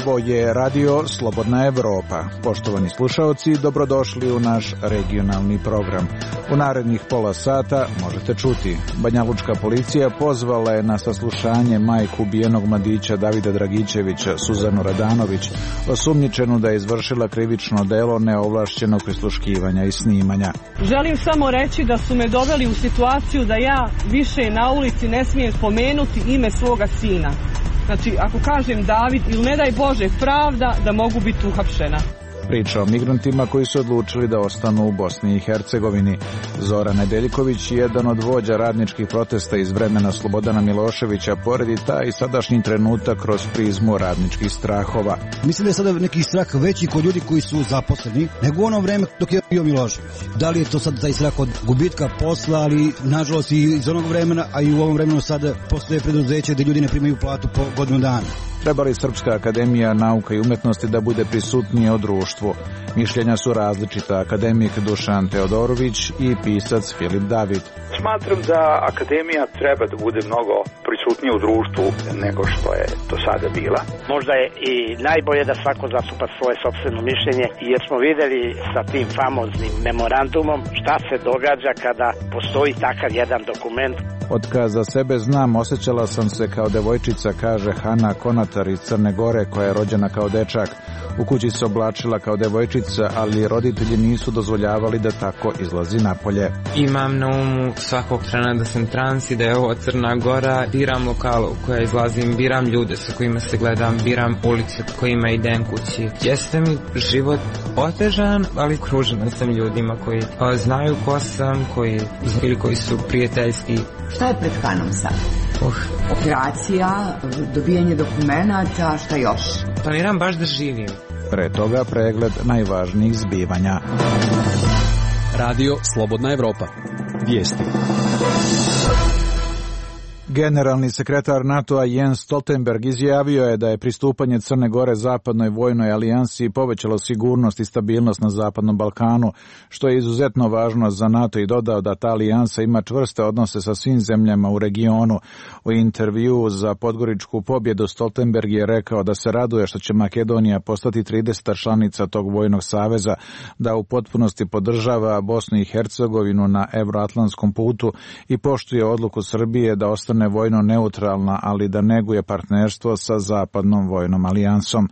Ovo je Radio Slobodna Evropa. Poštovani slušaoci, dobrodošli u naš regionalni program. U narednih pola sata možete čuti: banjalučka policija pozvala je na saslušanje majku ubijenog mladića Davida Dragičevića, Suzanu Radanović, osumnjičenu da je izvršila krivično delo neovlašćenog prisluškivanja i snimanja. Želim samo reći da su me doveli u situaciju da ja više na ulici ne smijem spomenuti ime svoga sina. Znači, ako kažem David ili ne daj Bože pravda, da mogu biti uhapšena. Priča o migrantima koji su odlučili da ostanu u Bosni i Hercegovini. Zoran Nedeljković, jedan od vođa radničkih protesta iz vremena Slobodana Miloševića, poredi taj sadašnji trenutak kroz prizmu radničkih strahova. Mislim da je sada neki strah veći kod ljudi koji su zaposleni nego u ono vreme dok je bio Milošević. Da li je to sad taj strah od gubitka posla, ali nažalost i iz onog vremena, a i u ovom vremenu sada postoje preduzeće gde ljudi ne primaju platu po godinu dana. Treba li Srpska akademija nauka i umetnosti da bude prisutnija u društvu? Mišljenja su različita. Akademik Dušan Teodorović i pisac Filip David. Smatram da akademija treba da bude mnogo prisutnija u društvu nego što je do sada bila. Možda je i najbolje da svako zastupa svoje sopstveno mišljenje, jer smo videli sa tim famoznim memorandumom šta se događa kada postoji takav jedan dokument. Od kad za sebe znam, osjećala sam se kao devojčica, kaže Hana Konatar iz Crne Gore, koja je rođena kao dečak. U kući se oblačila kao devojčica, ali roditelji nisu dozvoljavali da tako izlazi napolje. Imam na umu svakog trena da sam trans i da je ovo Crna Gora. Biram lokal u koja izlazim, biram ljude sa kojima se gledam, biram ulice kojima idem kući. Jeste mi život otežan, ali okružena sam ljudima koji znaju ko sam, koji su prijateljski. Šta je pred Hanom sad? Operacija, dobijanje dokumenata, šta još? Planiram baš da živim. Pre toga pregled najvažnijih zbivanja. Radio Slobodna Evropa. Vijesti. Generalni sekretar NATO-a Jens Stoltenberg izjavio je da je pristupanje Crne Gore zapadnoj vojnoj alijansi povećalo sigurnost i stabilnost na Zapadnom Balkanu, što je izuzetno važno za NATO, i dodao da ta alijansa ima čvrste odnose sa svim zemljama u regionu. U intervjuu za Podgoričku pobjedu Stoltenberg je rekao da se raduje što će Makedonija postati 30. članica tog vojnog saveza, da u potpunosti podržava Bosnu i Hercegovinu na evroatlantskom putu i poštuje odluku Srbije da ostane vojno neutralna, ali da neguje partnerstvo sa Zapadnom vojnom alijansom.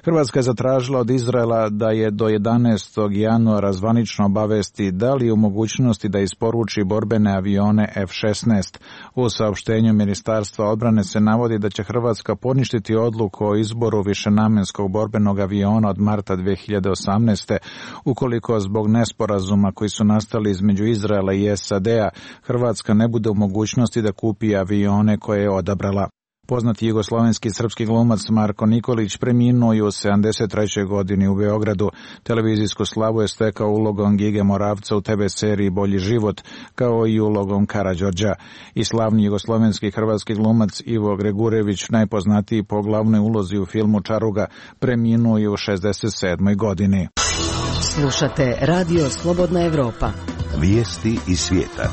Hrvatska je zatražila od Izraela da je do 11. januara zvanično obavesti da li je u mogućnosti da isporuči borbene avione F-16. U saopštenju Ministarstva odbrane se navodi da će Hrvatska poništiti odluku o izboru višenamenskog borbenog aviona od marta 2018. ukoliko zbog nesporazuma koji su nastali između Izraela i SAD-a Hrvatska ne bude u mogućnosti da kupi avione koje je odabrala. Poznati jugoslovenski srpski glumac Marko Nikolić preminuo je u 73. godini u Beogradu. Televizijsku slavu je stekao ulogom Gige Moravca u TV seriji Bolji život, kao i ulogom Karađorđa. I slavni jugoslovenski hrvatski glumac Ivo Gregurević, najpoznatiji po glavnoj ulozi u filmu Čaruga, preminuo je u 67. godini. Slušate Radio Slobodna Evropa. Vijesti iz svijeta.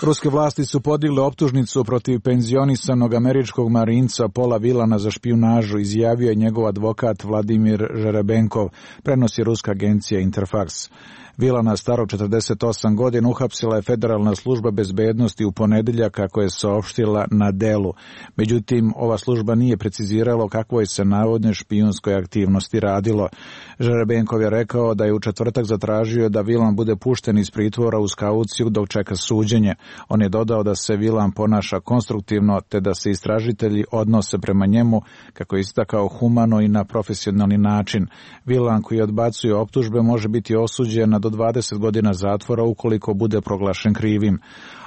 Ruske vlasti su podigle optužnicu protiv penzionisanog američkog marinca Paula Vilana za špijunažu, izjavio je njegov advokat Vladimir Žerebenkov, prenosi ruska agencija Interfax. Vilana, starog 48 godina, uhapsila je Federalna služba bezbednosti u ponedjeljak, kako je saopštila na Delu. Međutim, ova služba nije precizirala o kakvoj se navodne špijunskoj aktivnosti radilo. Žerebenkov je rekao da je u četvrtak zatražio da Vilan bude pušten iz pritvora uz kauciju dok čeka suđenje. On je dodao da se Vilan ponaša konstruktivno, te da se istražitelji odnose prema njemu, kako je istakao, humano i na profesionalni način. Vilan, koji odbacuje optužbe, može biti osuđen na do 20 godina zatvora ukoliko bude proglašen krivim.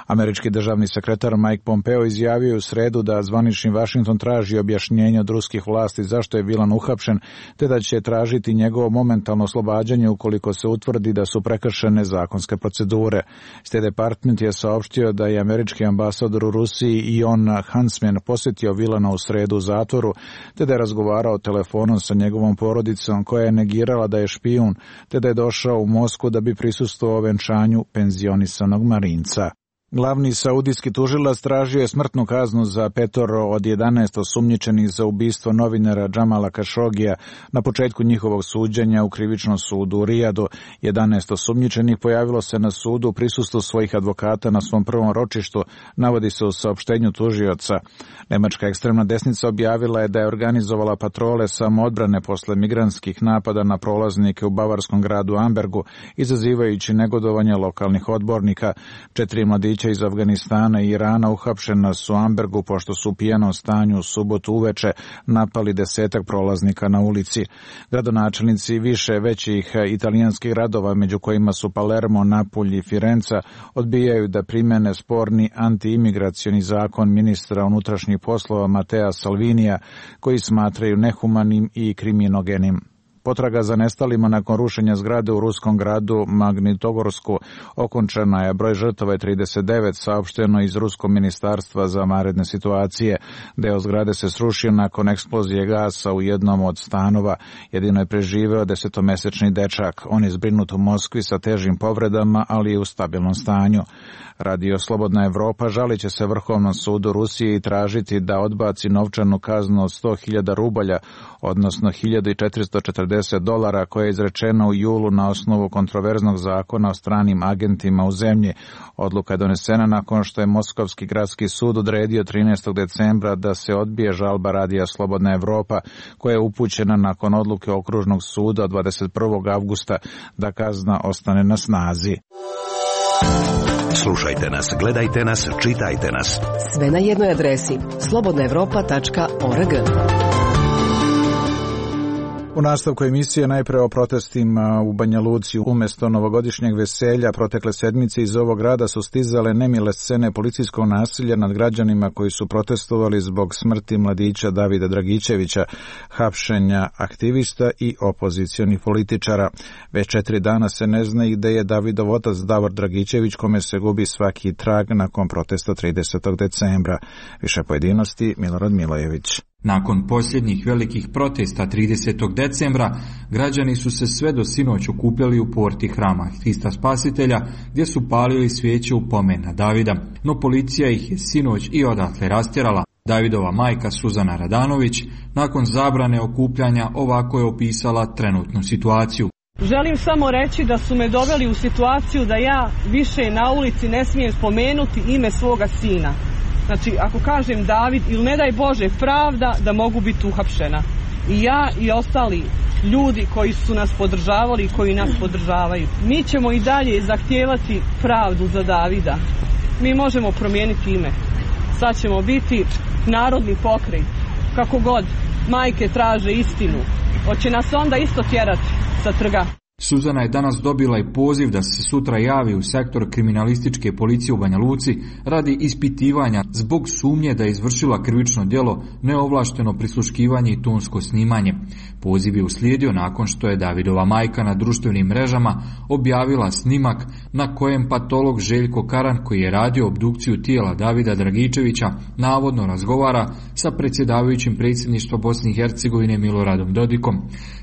Američki državni sekretar Mike Pompeo izjavio u sredu da zvanični Vašington traži objašnjenje od ruskih vlasti zašto je Vilan uhapšen, te da će tražiti njegovo momentalno oslobađanje ukoliko se utvrdi da su prekršene zakonske procedure. State Department je saopštio da je američki ambasador u Rusiji Ion Huntsman posjetio Vilana u sredu u zatvoru, te da je razgovarao telefonom sa njegovom porodicom, koja je negirala da je špijun, te da je došao u Moskvu da bi prisustvovao venčanju penzionisanog marinca. Glavni saudijski tužilac tražio je smrtnu kaznu za 5 od 11 osumnjičenih za ubistvo novinara Džamala Kašogija na početku njihovog suđenja u krivičnom sudu u Rijadu. 11 osumnjičenih pojavilo se na sudu u prisustvu svojih advokata na svom prvom ročištu, navodi se u saopštenju tužioca. Nemačka ekstremna desnica objavila je da je organizovala patrole samoodbrane posle migrantskih napada na prolaznike u bavarskom gradu Ambergu, izazivajući negodovanje lokalnih odbornika. 4 mladića iz Afganistana i Irana uhapšena su u Ambergu pošto su u pijanom stanju u subotu uveče napali 10 prolaznika na ulici. Gradonačelnici više većih italijanskih gradova, među kojima su Palermo, Napulj i Firenca, odbijaju da primene sporni antiimigracioni zakon ministra unutrašnjih poslova Matea Salvinija, koji smatraju nehumanim i kriminogenim. Potraga za nestalima nakon rušenja zgrade u ruskom gradu Magnitogorsku okončana je, broj žrtava je 39, saopšteno iz Ruskog ministarstva za vanredne situacije. Deo zgrade se srušio nakon eksplozije gasa u jednom od stanova. Jedino je preživeo 10-mesečni dečak. On je zbrinut u Moskvi sa težim povredama, ali je u stabilnom stanju. Radio Slobodna Evropa žalit će se Vrhovnom sudu Rusije i tražiti da odbaci novčanu kaznu od 100.000 rubalja, odnosno $1.440 koja je izrečena u julu na osnovu kontroverznog zakona o stranim agentima u zemlji. Odluka je donesena nakon što je Moskovski gradski sud odredio 13. decembra da se odbije žalba Radija Slobodna Evropa, koja je upućena nakon odluke Okružnog suda od 21. avgusta da kazna ostane na snazi. Slušajte nas, gledajte nas, čitajte nas. Sve na jednoj adresi slobodnaevropa.org. U nastavku emisije najpre o protestima u Banja Luci. Umjesto novogodišnjeg veselja protekle sedmice iz ovog grada su stizale nemile scene policijskog nasilja nad građanima koji su protestovali zbog smrti mladića Davida Dragičevića, hapšenja aktivista i opozicionih političara. Već 4 dana se ne zna i gde je Davidov otac Davor Dragičević, kome se gubi svaki trag nakon protesta 30. decembra. Više pojedinosti Milorad Milojević. Nakon posljednjih velikih protesta 30. decembra, građani su se sve do sinoć okupljali u porti hrama Hrista Spasitelja, gdje su palili svijeće u pomen na Davida, no policija ih je sinoć i odatle rastjerala. Davidova majka Suzana Radanović, nakon zabrane okupljanja, ovako je opisala trenutnu situaciju. Želim samo reći da su me doveli u situaciju da ja više na ulici ne smijem spomenuti ime svoga sina. Znači, ako kažem David ili ne daj Bože pravda, da mogu biti uhapšena. I ja i ostali ljudi koji su nas podržavali i koji nas podržavaju. Mi ćemo i dalje zahtijevati pravdu za Davida. Mi možemo promijeniti ime. Sad ćemo biti narodni pokret. Kako god, majke traže istinu. Hoće nas onda isto tjerati sa trga. Suzana je danas dobila i poziv da se sutra javi u sektor kriminalističke policije u Banja Luci radi ispitivanja zbog sumnje da je izvršila krivično djelo neovlašteno prisluškivanje i tonsko snimanje. Poziv je uslijedio nakon što je Davidova majka na društvenim mrežama objavila snimak na kojem patolog Željko Karan, koji je radio obdukciju tijela Davida Dragičevića, navodno razgovara sa predsjedavajućim predsjedništva Bosne i Hercegovine Miloradom Dodikom.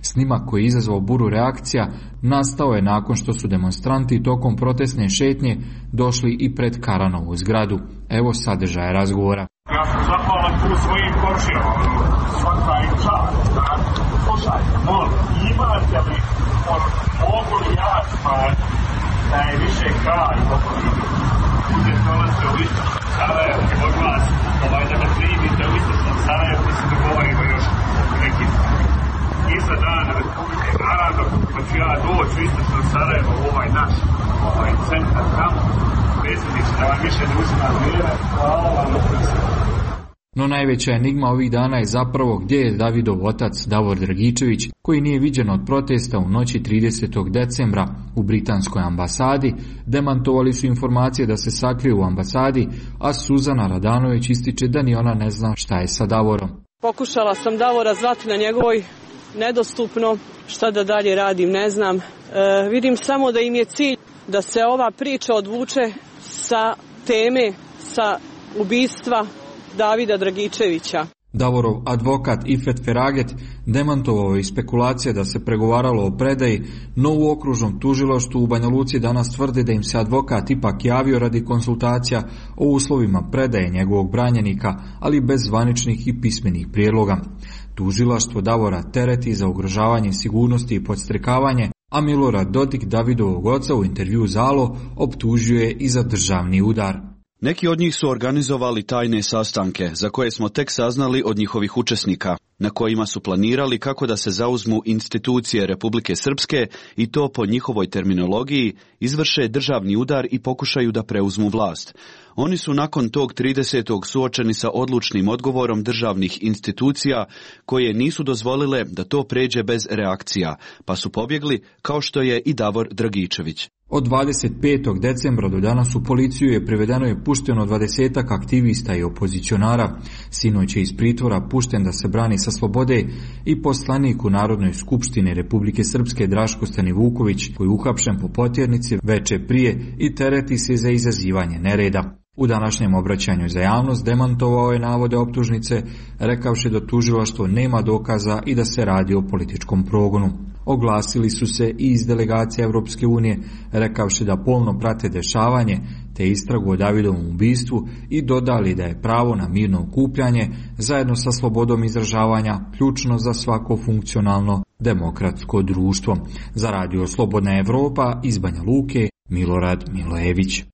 Snimak koji je izazvao buru reakcija nastao je nakon što su demonstranti tokom protestne šetnje došli i pred Karanovu zgradu. Evo sadržaja razgovora. Ja sam zahvalan tu svojim komšijama, svaka im čast. Slušaj, imate li mogu li ja spati da je više kraj uzeti dolaze u istočnom Sarajevo i od vas da me primite u istočnom Sarajevo da se dogovorimo još nekim iza dana Republike, naravno pa ću ja doći u istočnom Sarajevo u ovaj naš centar tamo, predsjedniče, da vam više ne uzimam vrijeme. Hvala vam. No najveća enigma ovih dana je zapravo gdje je Davidov otac Davor Dragičević, koji nije viđen od protesta u noći 30. decembra u britanskoj ambasadi. Demantovali su informacije da se sakrije u ambasadi, a Suzana Radanović ističe da ni ona ne zna šta je sa Davorom. Pokušala sam Davora zvati na njegovoj, nedostupno, šta da dalje radim ne znam. Vidim samo da im je cilj da se ova priča odvuče sa teme, sa ubistva Davida Dragičevića. Davorov advokat Ifet Feraget demantovao je spekulacije da se pregovaralo o predaji, no u okružnom tužilaštvu u Banja Luci danas tvrde da im se advokat ipak javio radi konsultacija o uslovima predaje njegovog branjenika, ali bez zvaničnih i pismenih prijedloga. Tužilaštvo Davora tereti za ugrožavanje sigurnosti i podstrekavanje, a Milorad Dodik, Davidovog oca, u intervju za Alo optužio je i za državni udar. Neki od njih su organizovali tajne sastanke, za koje smo tek saznali od njihovih učesnika, na kojima su planirali kako da se zauzmu institucije Republike Srpske i to po njihovoj terminologiji izvrše državni udar i pokušaju da preuzmu vlast. Oni su nakon tog 30. suočeni sa odlučnim odgovorom državnih institucija koje nisu dozvolile da to pređe bez reakcija, pa su pobjegli kao što je i Davor Dragičević. Od 25. decembra do danas u policiju je privedeno i pušteno 20 aktivista i opozicionara. Sinoć je iz pritvora pušten da se brani sa slobode i poslanik u Narodnoj skupštini Republike Srpske Draško Stanivuković, koji je uhapšen po potjernici veče prije i tereti se za izazivanje nereda. U današnjem obraćanju za javnost demantovao je navode optužnice, rekavši da tužilaštvo nema dokaza i da se radi o političkom progonu. Oglasili su se i iz delegacije Europske unije, rekavši da pomno prate dešavanje te istragu o Davidovom ubistvu i dodali da je pravo na mirno okupljanje zajedno sa slobodom izražavanja ključno za svako funkcionalno demokratsko društvo. Za Radio Slobodna Evropa iz Banja Luke, Milorad Milojević.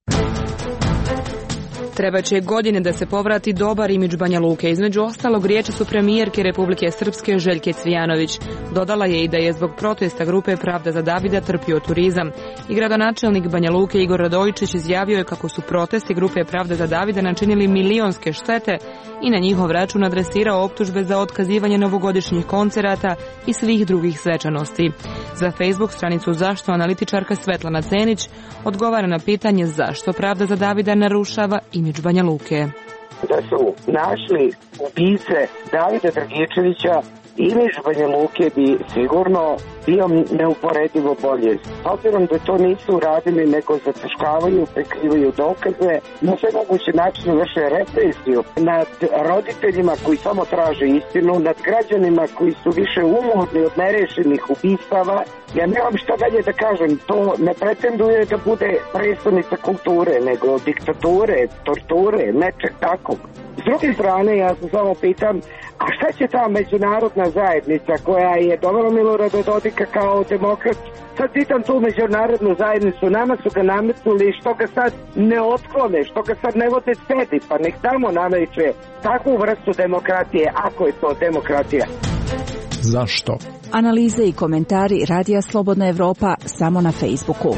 Treba će godine da se povrati dobar imidž Banja Luke. Između ostalog, riječi su premijerke Republike Srpske Željke Cvijanović. Dodala je i da je zbog protesta grupe Pravda za Davida trpio turizam. I gradonačelnik Banja Luke Igor Radojičić izjavio je kako su protesti grupe Pravda za Davida načinili milionske štete i na njihov račun adresirao optužbe za otkazivanje novogodišnjih koncerata i svih drugih svečanosti. Za Facebook stranicu Zašto analitičarka Svetlana Cenić odgovara na pitanje zašto Pravda za Davida narušava imidž Banja Luke. Da su našli ubice Davida Dragičevića, imidž Banja Luke bi sigurno bio neuporedivo bolje. Obzirom da to nisu uradili, nego zataškavaju, prikrivaju dokaze, na sve moguće načine vrše represiju nad roditeljima koji samo traže istinu, nad građanima koji su više umorni od nerešenih ubistava. Ja nemam šta dalje da kažem, to ne pretenduje da bude predstavnica kulture, nego diktature, torture, nečeg takvog. S druge strane, ja se samo pitam, a šta će ta međunarodna zajednica koja je dovela Milorada Dodika kao demokrat? Sad pitam tu međunarodnu zajednicu, nama su ga nametnuli, što ga sad ne otklone, što ga sad ne vode sedi, pa nek tamo nameće takvu vrstu demokratije, ako je to demokratija. Zašto? Analize i komentari Radija Slobodna Evropa samo na Facebooku.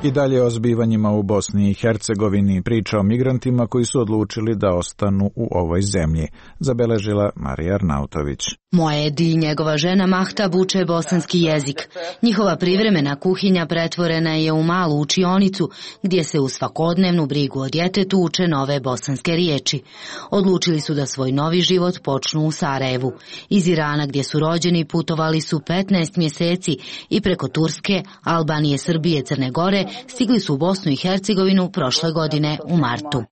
I dalje o zbivanjima u Bosni i Hercegovini, priča o migrantima koji su odlučili da ostanu u ovoj zemlji, zabeležila Marija Arnautović. Moedi i njegova žena Mahtab uče bosanski jezik. Njihova privremena kuhinja pretvorena je u malu učionicu gdje se u svakodnevnu brigu o djetetu uče nove bosanske riječi. Odlučili su da svoj novi život počnu u Sarajevu. Iz Irana gdje su rođeni putovali su 15 mjeseci i preko Turske, Albanije, Srbije, Crne Gore stigli su u Bosnu i Hercegovinu prošle godine u martu.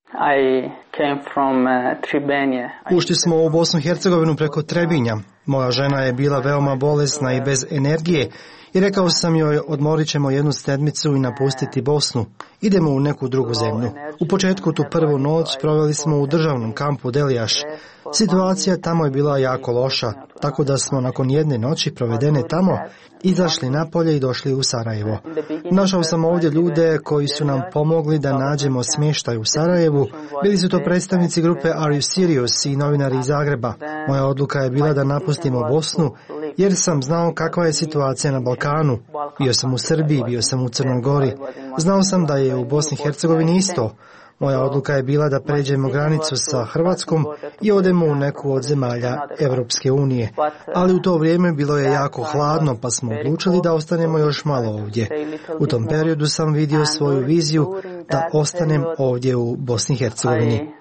Ušli smo u Bosnu i Hercegovinu preko Trebinja. Moja žena je bila veoma bolesna i bez energije i rekao sam joj odmorit ćemo jednu sedmicu i napustiti Bosnu. Idemo u neku drugu zemlju. U početku tu prvu noć proveli smo u državnom kampu Delijaš. Situacija tamo je bila jako loša, tako da smo nakon jedne noći provedene tamo izašli napolje i došli u Sarajevo. Našao sam ovdje ljude koji su nam pomogli da nađemo smještaj u Sarajevu. Bili su to predstavnici grupe Are You Serious i novinari iz Zagreba. Moja odluka je bila da napustimo Bosnu jer sam znao kakva je situacija na Balkanu. Bio sam u Srbiji, bio sam u Crnoj Gori. Znao sam da je u Bosni i Hercegovini isto. Moja odluka je bila da pređemo granicu sa Hrvatskom i odemo u neku od zemalja Evropske unije. Ali u to vrijeme bilo je jako hladno, pa smo odlučili da ostanemo još malo ovdje. U tom periodu sam vidio svoju viziju da ostanem ovdje u Bosni i Hercegovini.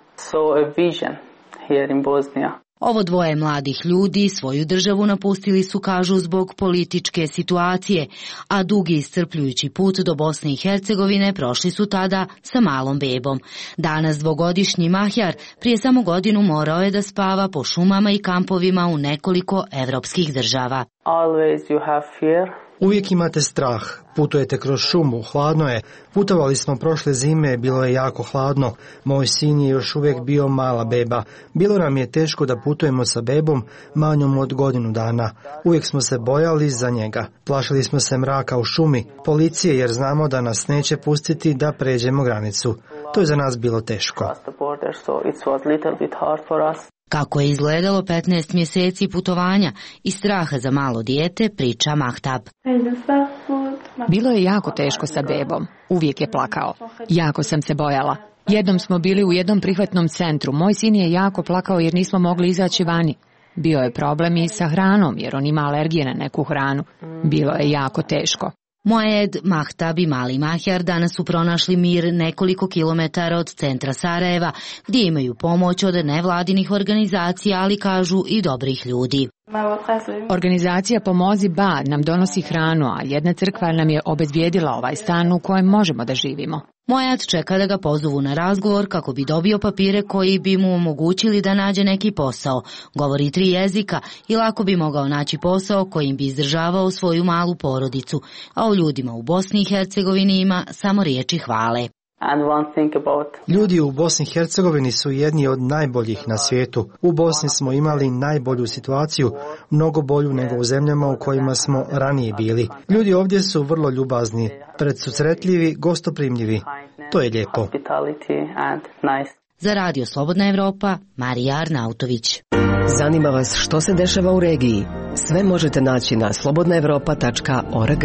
Ovo dvoje mladih ljudi svoju državu napustili su, kažu, zbog političke situacije, a dugi iscrpljujući put do Bosne i Hercegovine prošli su tada sa malom bebom. Danas dvogodišnji Mahjar prije samo godinu morao je da spava po šumama i kampovima u nekoliko evropskih država. Always you have fear. Uvijek imate strah, putujete kroz šumu, hladno je. Putovali smo prošle zime, bilo je jako hladno. Moj sin je još uvijek bio mala beba. Bilo nam je teško da putujemo sa bebom manjom od godinu dana. Uvijek smo se bojali za njega. Plašili smo se mraka u šumi, policije, jer znamo da nas neće pustiti da pređemo granicu. To je za nas bilo teško. Kako je izgledalo 15 mjeseci putovanja i straha za malo dijete, priča Mahtab. Bilo je jako teško sa bebom. Uvijek je plakao. Jako sam se bojala. Jednom smo bili u jednom prihvatnom centru. Moj sin je jako plakao jer nismo mogli izaći vani. Bio je problem i sa hranom jer on ima alergije na neku hranu. Bilo je jako teško. Moed, Mahtab i mali Mahjar danas su pronašli mir nekoliko kilometara od centra Sarajeva, gdje imaju pomoć od nevladinih organizacija, ali kažu i dobrih ljudi. Organizacija Pomozi Ba nam donosi hranu, a jedna crkva nam je obezbijedila ovaj stan u kojem možemo da živimo. Moed čeka da ga pozovu na razgovor kako bi dobio papire koji bi mu omogućili da nađe neki posao. Govori 3 jezika i lako bi mogao naći posao kojim bi izdržavao svoju malu porodicu, a o ljudima u Bosni i Hercegovini ima samo riječi hvale. Ljudi u Bosni i Hercegovini su jedni od najboljih na svijetu. U Bosni smo imali najbolju situaciju, mnogo bolju nego u zemljama u kojima smo ranije bili. Ljudi ovdje su vrlo ljubazni, predsusretljivi, gostoprimljivi. To je lijepo. Za Radio Slobodna Evropa, Marija Arnautović. Zanima vas što se dešava u regiji? Sve možete naći na slobodnaevropa.org.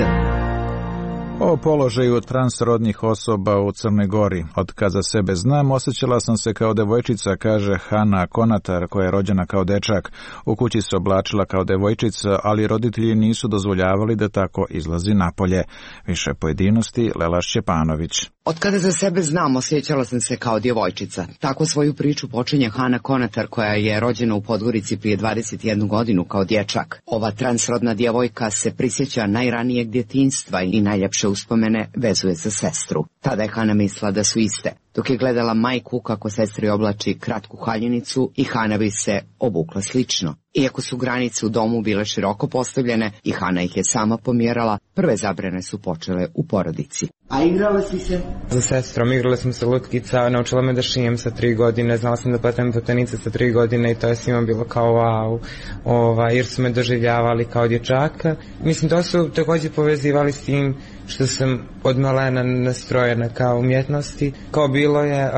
O položaju transrodnih osoba u Crnoj Gori. Od kad za sebe znam, osjećala sam se kao devojčica, kaže Hana Konatar, koja je rođena kao dečak. U kući se oblačila kao devojčica, ali roditelji nisu dozvoljavali da tako izlazi napolje. Više pojedinosti, Lela Šćepanović. Od kada za sebe znam, osjećala sam se kao djevojčica. Tako svoju priču počinje Hana Konatar, koja je rođena u Podgorici prije 21 godinu kao dječak. Ova transrodna djevojka se prisjeća najranijeg djetinjstva i najljepše uspomene vezuje za sestru. Tada je Hana mislila da su iste. Dok je gledala majku kako sestri oblači kratku haljinicu i Hana bi se obukla slično. Iako su granice u domu bile široko postavljene i Hana ih je sama pomjerala, prve zabrane su počele u porodici. A igrala si se? Za sestrom igrala sam se lutkica, naučila me da šijem sa 3 godine, znala sam da pletem platenice sa 3 godine i to je svima bilo kao wow, jer su me doživljavali kao dječaka. Mislim, to su također povezivali s tim što sam od malena nastrojena kao umjetnosti. Kao bilo je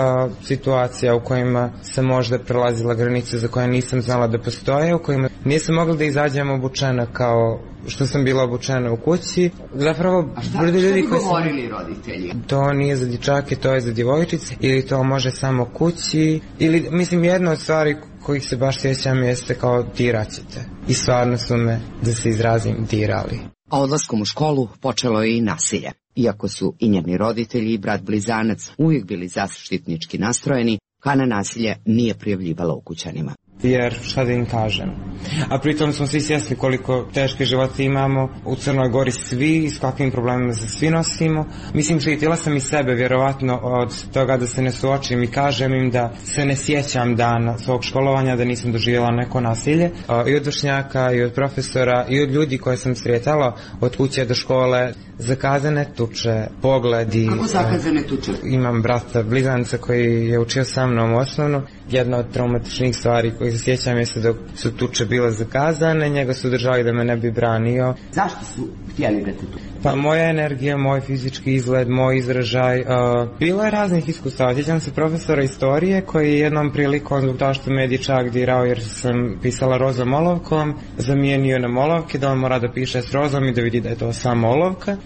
situacija u kojima sam možda prelazila granice za koje nisam znala da postoje, u kojima nisam mogla da izađem obučena kao što sam bila obučena u kući. Zapravo, šta bi govorili roditelji? To nije za dječake, to je za djevojčice, ili to može samo kući, ili, mislim, jedna od stvari kojih se baš sjećam jeste kao diraćete. I stvarno su me, da se izrazim, dirali. A odlaskom u školu počelo je i nasilje. Iako su i njeni roditelji i brat blizanac uvijek bili zaštitnički nastrojeni, Hana nasilje nije prijavljivala ukućanima. Jer šta da im kažem. A pritom smo svi svjesni koliko teške živote imamo u Crnoj Gori svi i s kakvim problemima se svi nosimo. Mislim, štitila sam i sebe vjerovatno od toga da se ne suočim i kažem im da se ne sjećam dana svog školovanja, da nisam doživjela neko nasilje. I od vršnjaka, i od profesora, i od ljudi koje sam sretala od kuće do škole. Zakazane tuče, pogledi. Kako zakazane tuče? Imam brata blizanca koji je učio sa mnom u osnovnu. Jedna od traumatičnih stvari koji se sjećam jeste da su tuče bile zakazane, njega su držali da me ne bi branio. Zašto su htjeli da te tuče? Pa moja energija, moj fizički izgled, moj izražaj, bilo je raznih iskustava. Sjećam se profesora istorije koji je jednom prilikom, zbog toga što me je dječak dirao jer sam pisala rozom olovkom, zamijenio na olovke da on mora da piše s rozom i da vidi da je to samo olovka.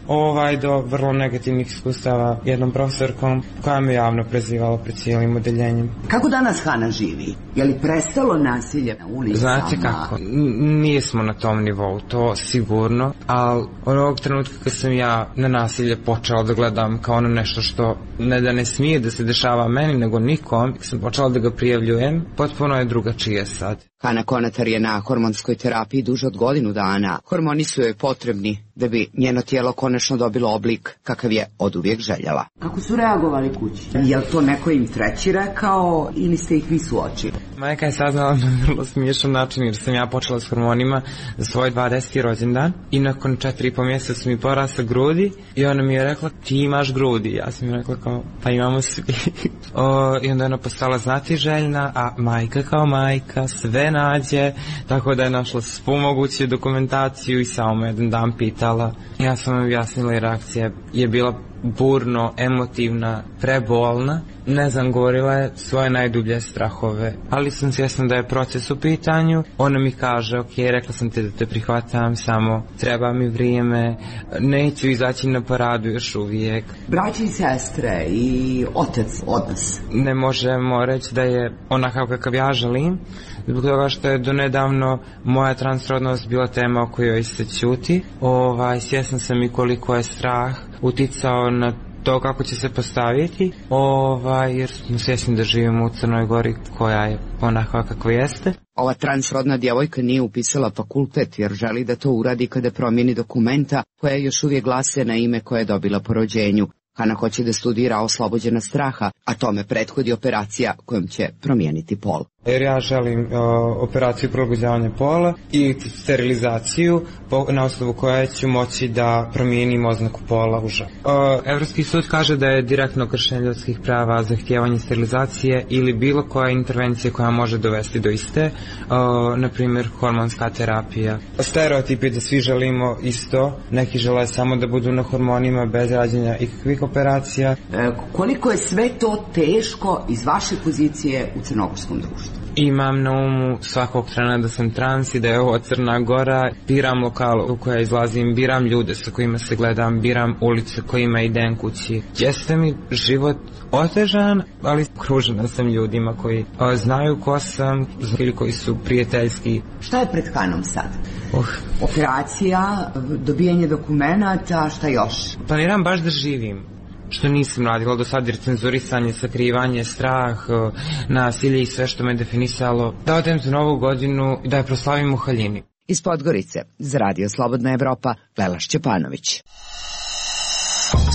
Do vrlo negativnih iskustava jednom profesorkom koja me javno prezivala pred cijelim odeljenjem. Kako danas Hana živi? Je li prestalo nasilje na ulicama? Znate kako, nismo na tom nivou, to sigurno, ali onog trenutka kad sam ja na nasilje počela da gledam kao ono nešto što ne da ne smije da se dešava meni nego nikom, sam počela da ga prijavljujem, potpuno je drugačije sad. Hana Konatar je na hormonskoj terapiji duže od godinu dana. Hormoni su joj potrebni da bi njeno tijelo konačno dobilo oblik kakav je oduvijek željela. Kako su reagovali kući? Je li to neko im treći rekao ili ste ih vi suočili? Majka je saznala na vrlo smiješan način jer sam ja počela s hormonima za svoj 20. rođendan i nakon 4,5 mjeseca su mi porasle grudi i ona mi je rekla ti imaš grudi. Ja sam mi rekla kao pa imamo svi. I onda je ona postala znatiželjna, a majka kao majka sve nađe, tako da je našla svu moguću dokumentaciju i samo me jedan dan pitala. Ja sam vam objasnila i reakcija je bila burno, emotivna, prebolna. Ne znam, govorila je svoje najdublje strahove, ali sam svjesna da je proces u pitanju. Ona mi kaže, ok, rekla sam ti da te prihvatam, samo treba mi vrijeme, neću izaći na paradu još uvijek. Braći i sestre i otac odnos? Ne možemo reći da je onakav kakav ja želim, zbog toga što je donedavno moja transrodnost bila tema o kojoj se ćuti. Svjesna sam i koliko je strah uticao na to kako će se postaviti, jer smo svjesni da živimo u Crnoj Gori koja je onakva kakva jeste. Ova transrodna djevojka nije upisala fakultet jer želi da to uradi kada promijeni dokumenta koja još uvijek glase na ime koje je dobila po rođenju. Hana hoće da studira oslobođena straha, a tome prethodi operacija kojom će promijeniti pol. Jer ja želim operaciju prilagođavanja pola i sterilizaciju na osnovu koje ću moći da promijenim oznaku pola u ženu. Evropski sud kaže da je direktno kršenje ljudskih prava zahtijevanje sterilizacije ili bilo koja intervencija koja može dovesti do iste, na primjer hormonska terapija. Stereotip je da svi želimo isto, neki žele samo da budu na hormonima bez rađenja ikakvih operacija. Koliko je sve to teško iz vaše pozicije u crnogorskom društvu? Imam na umu svakog trena da sam trans i da je ovo Crna Gora. Biram lokal u koja izlazim, biram ljude sa kojima se gledam, biram ulice kojima idem kući. Jeste mi život otežan, ali okružena sam ljudima koji znaju ko sam ili koji su prijateljski. Šta je pred Hanom sad? Operacija, dobijanje dokumenata, šta još? Planiram baš da živim, što nisam radila do sad, jer cenzurisanje, sakrivanje, strah, nasilje i sve što me definisalo. Da odem za Novu godinu i da je proslavim u haljini. Iz Podgorice, za Radio Slobodna Evropa, Lela Šćepanović.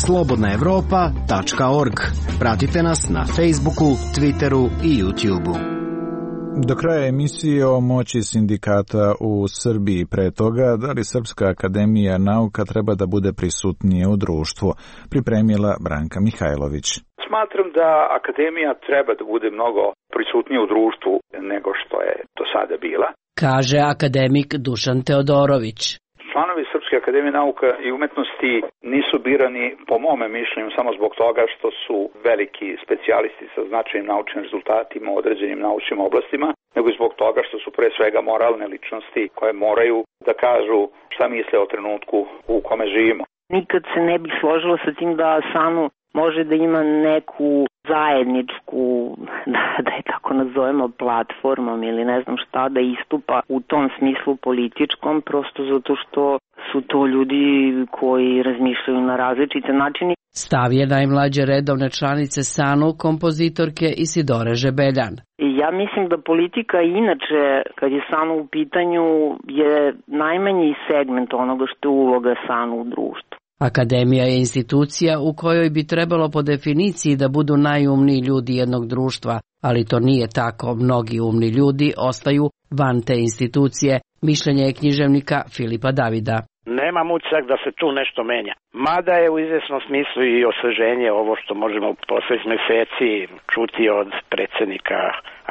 slobodnaevropa.org. Pratite nas na Facebooku, Twitteru i YouTubeu. Do kraja emisije o moći sindikata u Srbiji, pre toga da li Srpska akademija nauka treba da bude prisutnije u društvu, pripremila Branka Mihajlović. Smatram da akademija treba da bude mnogo prisutnije u društvu nego što je do sada bila, kaže akademik Dušan Teodorović. Članovi Srpske akademije nauka i umetnosti nisu birani, po mome mišljenju, samo zbog toga što su veliki specijalisti sa značajnim naučnim rezultatima u određenim naučnim oblastima, nego i zbog toga što su pre svega moralne ličnosti koje moraju da kažu šta misle o trenutku u kome živimo. Nikad se ne bih složila sa tim da SANU može da ima neku zajedničku, da je tako nazovemo, platformom ili ne znam šta, da istupa u tom smislu političkom, prosto zato što su to ljudi koji razmišljaju na različite načine. Stav je najmlađe redovne članice SANU, kompozitorke Isidore Žebeljan. Ja mislim da politika inače, kad je SANU u pitanju, je najmanji segment onoga što je uloga SANU u društvu. Akademija je institucija u kojoj bi trebalo po definiciji da budu najumniji ljudi jednog društva, ali to nije tako. Mnogi umni ljudi ostaju van te institucije. Mišljenje je književnika Filipa Davida. Nemam utisak da se tu nešto menja. Mada je u izvjesnom smislu i osveženje ovo što možemo posljednjih mjeseci čuti od predsjednika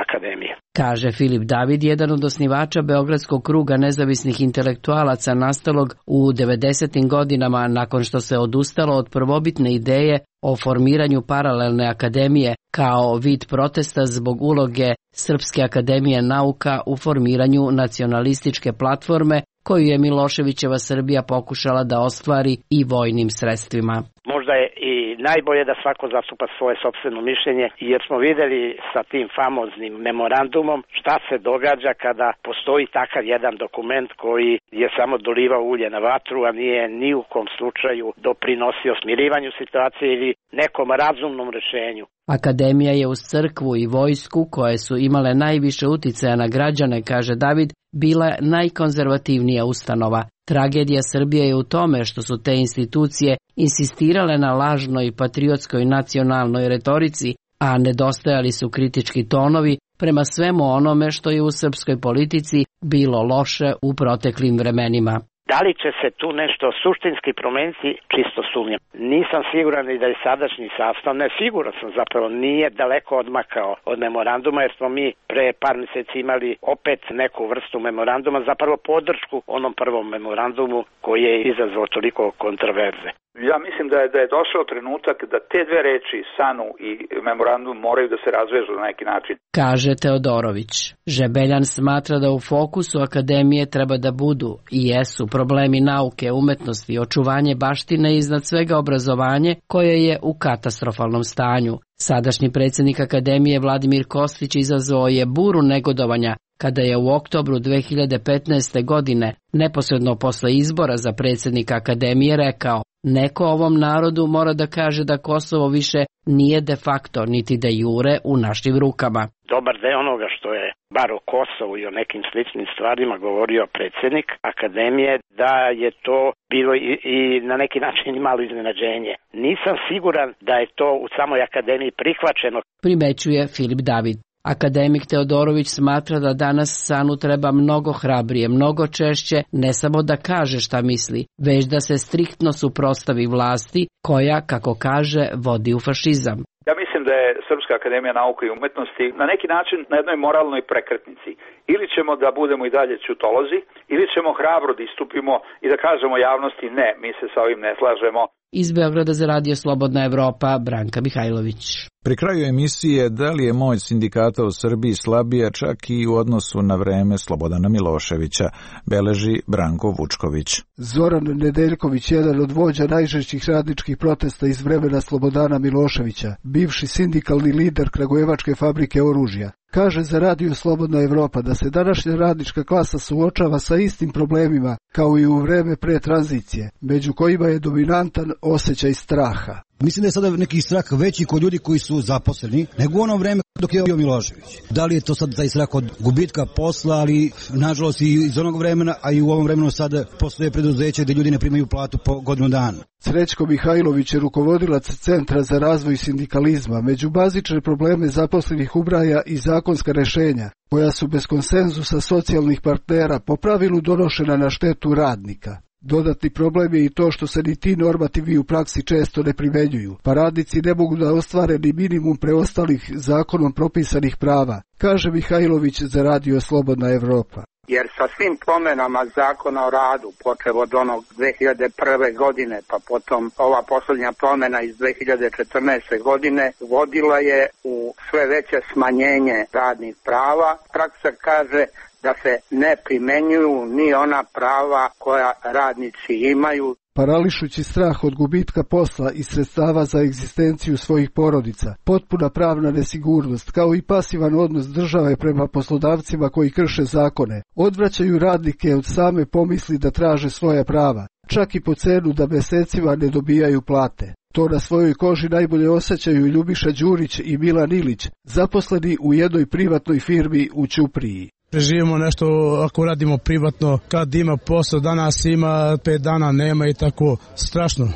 akademije. Kaže Filip David, jedan od osnivača Beogradskog kruga nezavisnih intelektualaca nastalog u 90. godinama nakon što se odustalo od prvobitne ideje o formiranju paralelne akademije kao vid protesta zbog uloge Srpske akademije nauka u formiranju nacionalističke platforme koju je Miloševićeva Srbija pokušala da ostvari i vojnim sredstvima. Možda je i najbolje da svako zastupa svoje sopstveno mišljenje, jer smo videli sa tim famoznim memorandumom šta se događa kada postoji takav jedan dokument koji je samo dolivao ulje na vatru, a nije ni u kom slučaju doprinosio smirivanju situacije ili nekom razumnom rešenju. Akademija je uz crkvu i vojsku, koje su imale najviše uticaja na građane, kaže David, bila najkonzervativnija ustanova. Tragedija Srbije je u tome što su te institucije insistirale na lažnoj patriotskoj nacionalnoj retorici, a nedostajali su kritički tonovi prema svemu onome što je u srpskoj politici bilo loše u proteklim vremenima. Da li će se tu nešto suštinski promeniti, čisto sumnjam. Nisam siguran i da je sadašnji sastav, ne siguran sam zapravo, nije daleko odmakao od memoranduma, jer smo mi pre par mjeseci imali opet neku vrstu memoranduma, zapravo podršku onom prvom memorandumu koji je izazvao toliko kontroverze. Ja mislim da je došao trenutak da te dve reči, SANU i memorandum, moraju da se razvežu na neki način. Kaže Teodorović. Žebeljan smatra da u fokusu akademije treba da budu i jesu problemi nauke, umetnosti, očuvanje baštine i iznad svega obrazovanje koje je u katastrofalnom stanju. Sadašnji predsjednik akademije Vladimir Kostić izazvao je buru negodovanja kada je u oktobru 2015. godine, neposredno posle izbora za predsjednika akademije, rekao: neko ovom narodu mora da kaže da Kosovo više nije de facto niti de jure u našim rukama. Dobar deo onoga što je bar o Kosovu i o nekim sličnim stvarima govorio predsjednik akademije, da je to bilo i na neki način malo iznenađenje. Nisam siguran da je to u samoj akademiji prihvaćeno. Primećuje Filip David. Akademik Teodorović smatra da danas SANU treba mnogo hrabrije, mnogo češće, ne samo da kaže šta misli, već da se striktno suprotstavi vlasti koja, kako kaže, vodi u fašizam. Ja mislim da je Srpska akademija nauke i umetnosti na neki način na jednoj moralnoj prekretnici. Ili ćemo da budemo i dalje ćutolozi, ili ćemo hrabro da istupimo i da kažemo javnosti ne, mi se sa ovim ne slažemo. Iz Beograda za Radio Slobodna Evropa, Branka Mihajlović. Pri kraju emisije, da li je moć sindikata u Srbiji slabija čak i u odnosu na vreme Slobodana Miloševića, beleži Branko Vučković. Zoran Nedeljković, jedan od vođa najžešćih radničkih protesta iz vremena Slobodana Miloševića, bivši sindikalni lider Kragujevačke fabrike oružja, kaže za Radio Slobodna Evropa da se današnja radnička klasa suočava sa istim problemima kao i u vreme pre tranzicije, među kojima je dominantan osjećaj straha. Mislim da je sada neki strah veći kod ljudi koji su zaposleni nego u ono vreme dok je bio Milošević. Da li je to sad taj strah od gubitka posla, ali nažalost i iz onog vremena, a i u ovom vremenu sada postoje preduzeće gdje ljudi ne primaju platu po godinu dana. Srećko Mihajlović je rukovodilac Centra za razvoj sindikalizma. Među bazične probleme zaposlenih ubraja i zakonska rešenja, koja su bez konsenzusa socijalnih partnera po pravilu donošena na štetu radnika. Dodatni problem je i to što se ni ti normativi u praksi često ne primenjuju, pa radnici ne mogu da ostvare ni minimum preostalih zakonom propisanih prava, kaže Mihajlović za Radio Slobodna Evropa. Jer sa svim promjenama zakona o radu, počev od onog 2001. godine, pa potom ova posljednja promjena iz 2014. godine, vodila je u sve veće smanjenje radnih prava. Praksa kaže da se ne primenjuju ni ona prava koja radnici imaju. Parališući strah od gubitka posla i sredstava za egzistenciju svojih porodica, potpuna pravna nesigurnost, kao i pasivan odnos države prema poslodavcima koji krše zakone, odvraćaju radnike od same pomisli da traže svoja prava, čak i po cenu da mesecima ne dobijaju plate. To na svojoj koži najbolje osjećaju Ljubiša Đurić i Milan Ilić, zaposleni u jednoj privatnoj firmi u Ćupriji. Preživimo nešto ako radimo privatno, kad ima posao, danas ima, 5 dana nema i tako, strašno.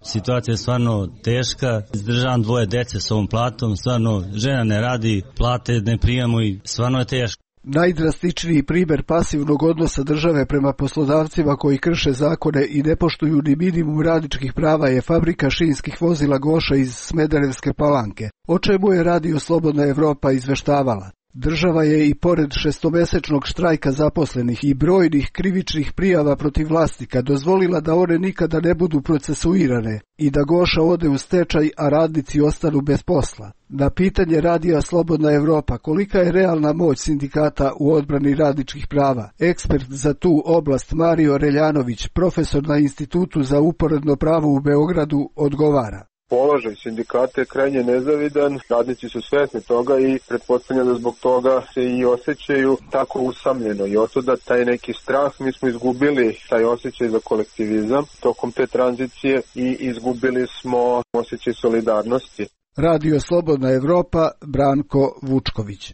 Situacija je stvarno teška, izdržavam 2 dece s ovom platom, stvarno žena ne radi, plate ne primamo i stvarno je teško. Najdrastičniji primjer pasivnog odnosa države prema poslodavcima koji krše zakone i ne poštuju ni minimum radničkih prava je fabrika šinskih vozila Goša iz Smederevske Palanke, o čemu je Radio Slobodna Evropa izveštavala. Država je i pored 6-mesečnog štrajka zaposlenih i brojnih krivičnih prijava protiv vlasnika dozvolila da one nikada ne budu procesuirane i da Goša ode u stečaj, a radnici ostanu bez posla. Na pitanje Radija Slobodna Evropa kolika je realna moć sindikata u odbrani radničkih prava, ekspert za tu oblast Mario Reljanović, profesor na Institutu za uporedno pravo u Beogradu, odgovara. Položaj sindikata je krajnje nezavidan, radnici su svesni toga i pretpostavljam da zbog toga se i osjećaju tako usamljeno i otuda taj neki strah. Mi smo izgubili taj osjećaj za kolektivizam tokom te tranzicije i izgubili smo osjećaj solidarnosti. Radio Slobodna Evropa, Branko Vučković.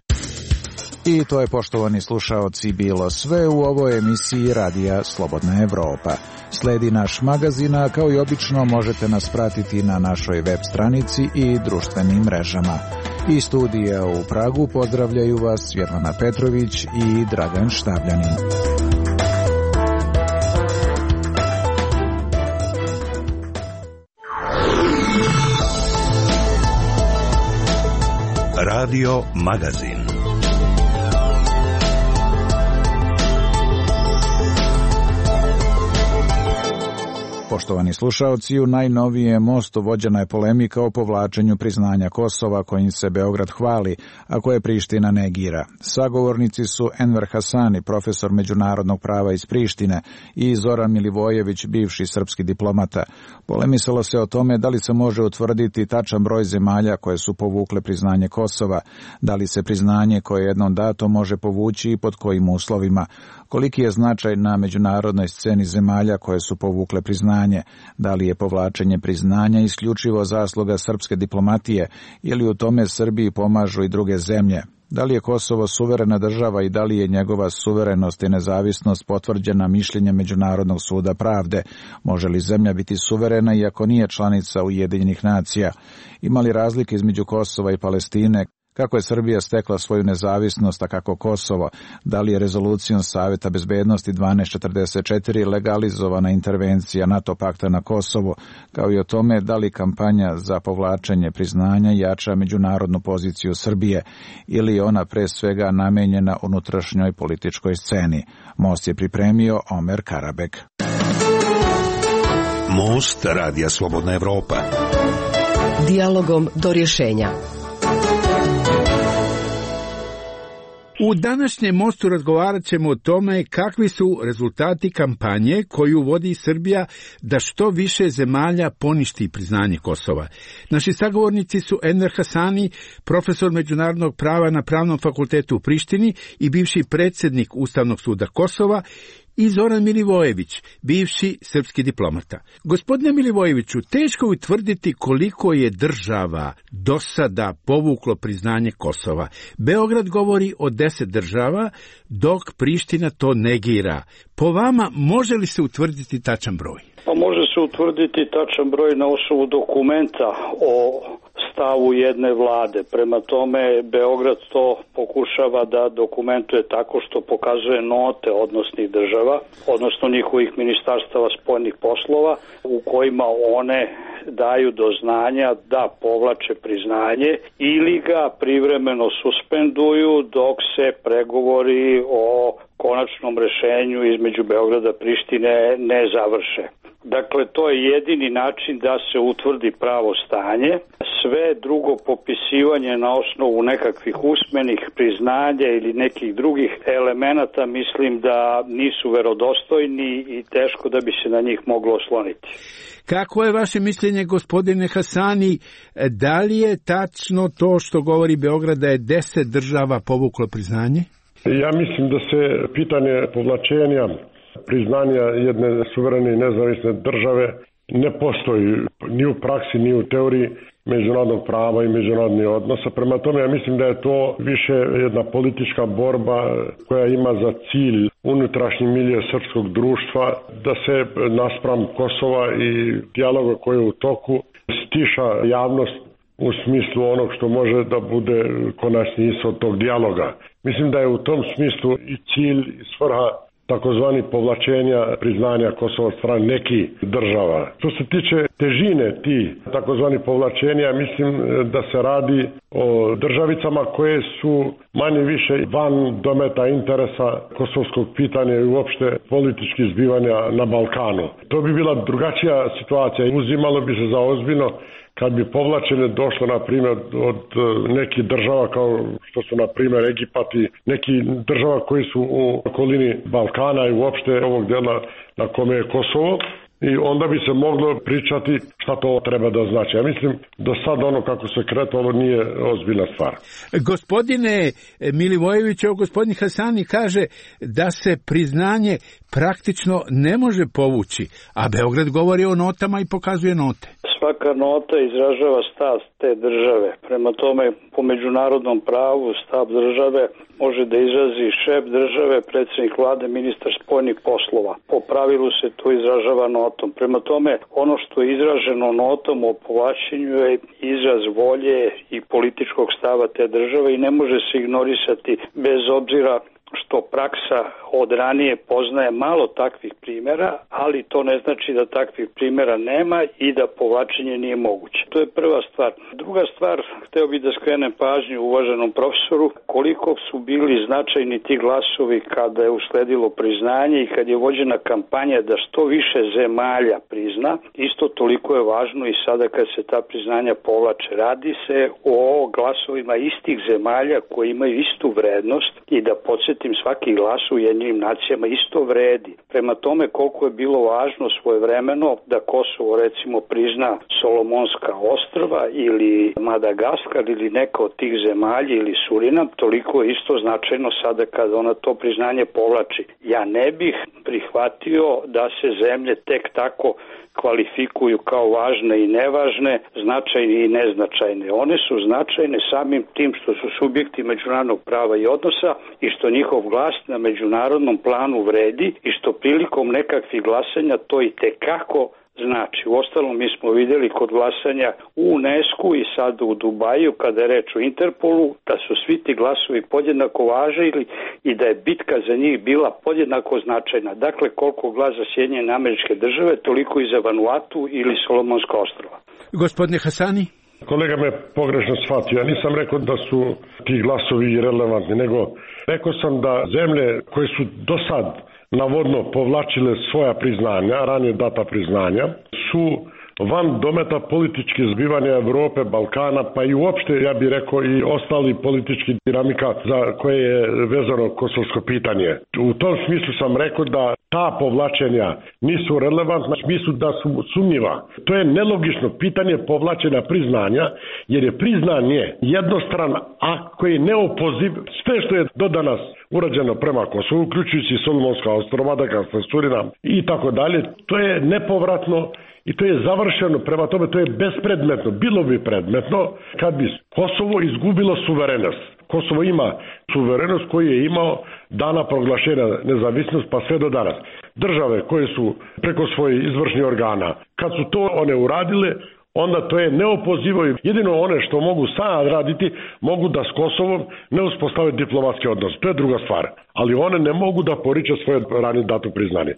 I to je, poštovani slušaoci, bilo sve u ovoj emisiji Radija Slobodna Evropa. Sledi naš magazin, a kao i obično možete nas pratiti na našoj web stranici i društvenim mrežama. Iz studija u Pragu pozdravljaju vas Svetlana Petrović i Dragan Štavljanin. Radio Magazin. Poštovani slušaoci, u najnovijem mostu vođena je polemika o povlačenju priznanja Kosova kojim se Beograd hvali, a koje Priština negira. Sagovornici su Enver Hasani, profesor međunarodnog prava iz Prištine, i Zoran Milivojević, bivši srpski diplomata. Polemisalo se o tome da li se može utvrditi tačan broj zemalja koje su povukle priznanje Kosova, da li se priznanje koje je jednom dato može povući i pod kojim uslovima, koliki je značaj na međunarodnoj sceni zemalja koje su povukle priznanje, da li je povlačenje priznanja isključivo zasluga srpske diplomatije ili u tome Srbiji pomažu i druge zemlje, da li je Kosovo suverena država i da li je njegova suverenost i nezavisnost potvrđena mišljenjem Međunarodnog suda pravde, može li zemlja biti suverena iako nije članica Ujedinjenih nacija, ima li razlike između Kosova i Palestine, kako je Srbija stekla svoju nezavisnost, a kako Kosovo, da li je rezolucijom Saveta bezbednosti 1244 legalizovana intervencija NATO pakta na Kosovu, kao i o tome da li kampanja za povlačenje priznanja jača međunarodnu poziciju Srbije ili je ona pre svega namenjena unutrašnjoj političkoj sceni. Most je pripremio Omer Karabek. Most Radija Slobodna Evropa. Dijalogom do rješenja. U današnjem mostu razgovarat ćemo o tome kakvi su rezultati kampanje koju vodi Srbija da što više zemalja poništi priznanje Kosova. Naši sagovornici su Enver Hasani, profesor međunarodnog prava na Pravnom fakultetu u Prištini i bivši predsjednik Ustavnog suda Kosova, i Zoran Milivojević, bivši srpski diplomata. Gospodine Milivojeviću, teško je utvrditi koliko je država do sada povuklo priznanje Kosova. Beograd govori o 10 država, dok Priština to negira. Po vama, može li se utvrditi tačan broj? Pa može se utvrditi tačan broj na osnovu dokumenta o stavu jedne vlade. Prema tome, Beograd to pokušava da dokumentuje tako što pokazuje note odnosnih država, odnosno njihovih ministarstava spoljnih poslova, u kojima one daju do znanja da povlače priznanje ili ga privremeno suspenduju dok se pregovori o konačnom rešenju između Beograda i Prištine ne završe. Dakle, to je jedini način da se utvrdi pravo stanje. Sve drugo popisivanje na osnovu nekakvih usmenih priznanja ili nekih drugih elemenata mislim da nisu verodostojni i teško da bi se na njih moglo osloniti. Kako je vaše mišljenje, gospodine Hasani, da li je tačno to što govori Beograd da je 10 država povuklo priznanje? Ja mislim da se pitanje povlačenja priznanja jedne suverene i nezavisne države ne postoji ni u praksi, ni u teoriji međunarodnog prava i međunarodnih odnosa. Prema tome, ja mislim da je to više jedna politička borba koja ima za cilj unutrašnji milje srpskog društva, da se naspram Kosova i dijaloga koji je u toku stiša javnost u smislu onog što može da bude konačni ishod tog dijaloga. Mislim da je u tom smislu i cilj i svrha takozvani povlačenja priznanja Kosova od strane nekih država. Što se tiče težine tih takozvani povlačenja, mislim da se radi o državicama koje su manje više van dometa interesa kosovskog pitanja i uopšte političkih zbivanja na Balkanu. To bi bila drugačija situacija i uzimalo bi se za ozbiljno kad bi povlačenje došlo, na primjer, od nekih država kao što su, na primjer, Egipat i nekih država koji su u okolini Balkana i uopšte ovog dela na kome je Kosovo. i onda bi se moglo pričati šta to treba da znači. Ja mislim do sada ono kako se kretalo nije ozbiljna stvar. Gospodine Milivojević, gospodin Hasani kaže da se priznanje praktično ne može povući, a Beograd govori o notama i pokazuje note. Svaka nota izražava stav te države. Prema tome, po međunarodnom pravu stav države može da izrazi šef države, predsjednik vlade, ministar spoljnih poslova. Po pravilu se to izražava notom. Prema tome, ono što je izraženo notom o povlačenju je izraz volje i političkog stava te države i ne može se ignorisati bez obzira što praksa od ranije poznaje malo takvih primjera, ali to ne znači da takvih primjera nema i da povlačenje nije moguće. To je prva stvar. Druga stvar, hteo bih da skrenem pažnju uvaženom profesoru koliko su bili značajni ti glasovi kada je usledilo priznanje i kad je vođena kampanja da što više zemalja prizna, isto toliko je važno i sada kad se ta priznanja povlače. Radi se o glasovima istih zemalja koji imaju istu vrednost i da podsjetim, svaki glas u Ujedinjenim nacijama isto vredi. Prema tome koliko je bilo važno svojevremeno da Kosovo recimo prizna Solomonska ostrva ili Madagaskar ili neka od tih zemalja ili Surinam, toliko je isto značajno sada kad ona to priznanje povlači. Ja ne bih prihvatio da se zemlje tek tako kvalifikuju kao važne i nevažne, značajne i neznačajne. One su značajne samim tim što su subjekti međunarodnog prava i odnosa i što njihov glas na međunarodnom planu vredi i što prilikom nekakvih glasanja to i tekako znači. Uostalom mi smo vidjeli kod glasanja u UNESCO i sad u Dubaju kada je reč o Interpolu da su svi ti glasovi podjednako važili i da je bitka za njih bila podjednako značajna. Dakle, koliko glas za Sjedinjene Američke Države, toliko i za Vanuatu ili Solomonska ostrva. Gospodine Hasani? Kolega me pogrešno shvatio. Ja nisam rekao da su ti glasovi irelevantni, nego rekao sam da zemlje koje su do sad navodno povlačile svoja priznanja, ranije data priznanja, su van dometa političkih zbivanja Evrope, Balkana, pa i uopšte, ja bih rekao, i ostali politički dinamika za koje je vezano kosovsko pitanje. U tom smislu sam rekao da ta povlačenja nisu relevantna, u smislu da su sumnjiva. To je nelogično pitanje povlačenja priznanja, jer je priznanje jednostran akt koji je neopoziv. Sve što je do danas urađeno prema Kosovu, uključujući Solomonska ostrva, Madagaskar, Surinam i tako dalje, to je nepovratno i to je završeno, prema tome to je bespredmetno. Bilo bi predmetno kad bi Kosovo izgubilo suverenost. Kosovo ima suverenost koju je imao dana proglašenja nezavisnost pa sve do danas. Države koje su preko svojih izvršnih organa, kad su to one uradile, onda to je neopozivo i jedino one što mogu sad raditi, mogu da s Kosovom ne uspostave diplomatski odnos. To je druga stvar. Ali one ne mogu da poriče svoje ranije dato priznanje.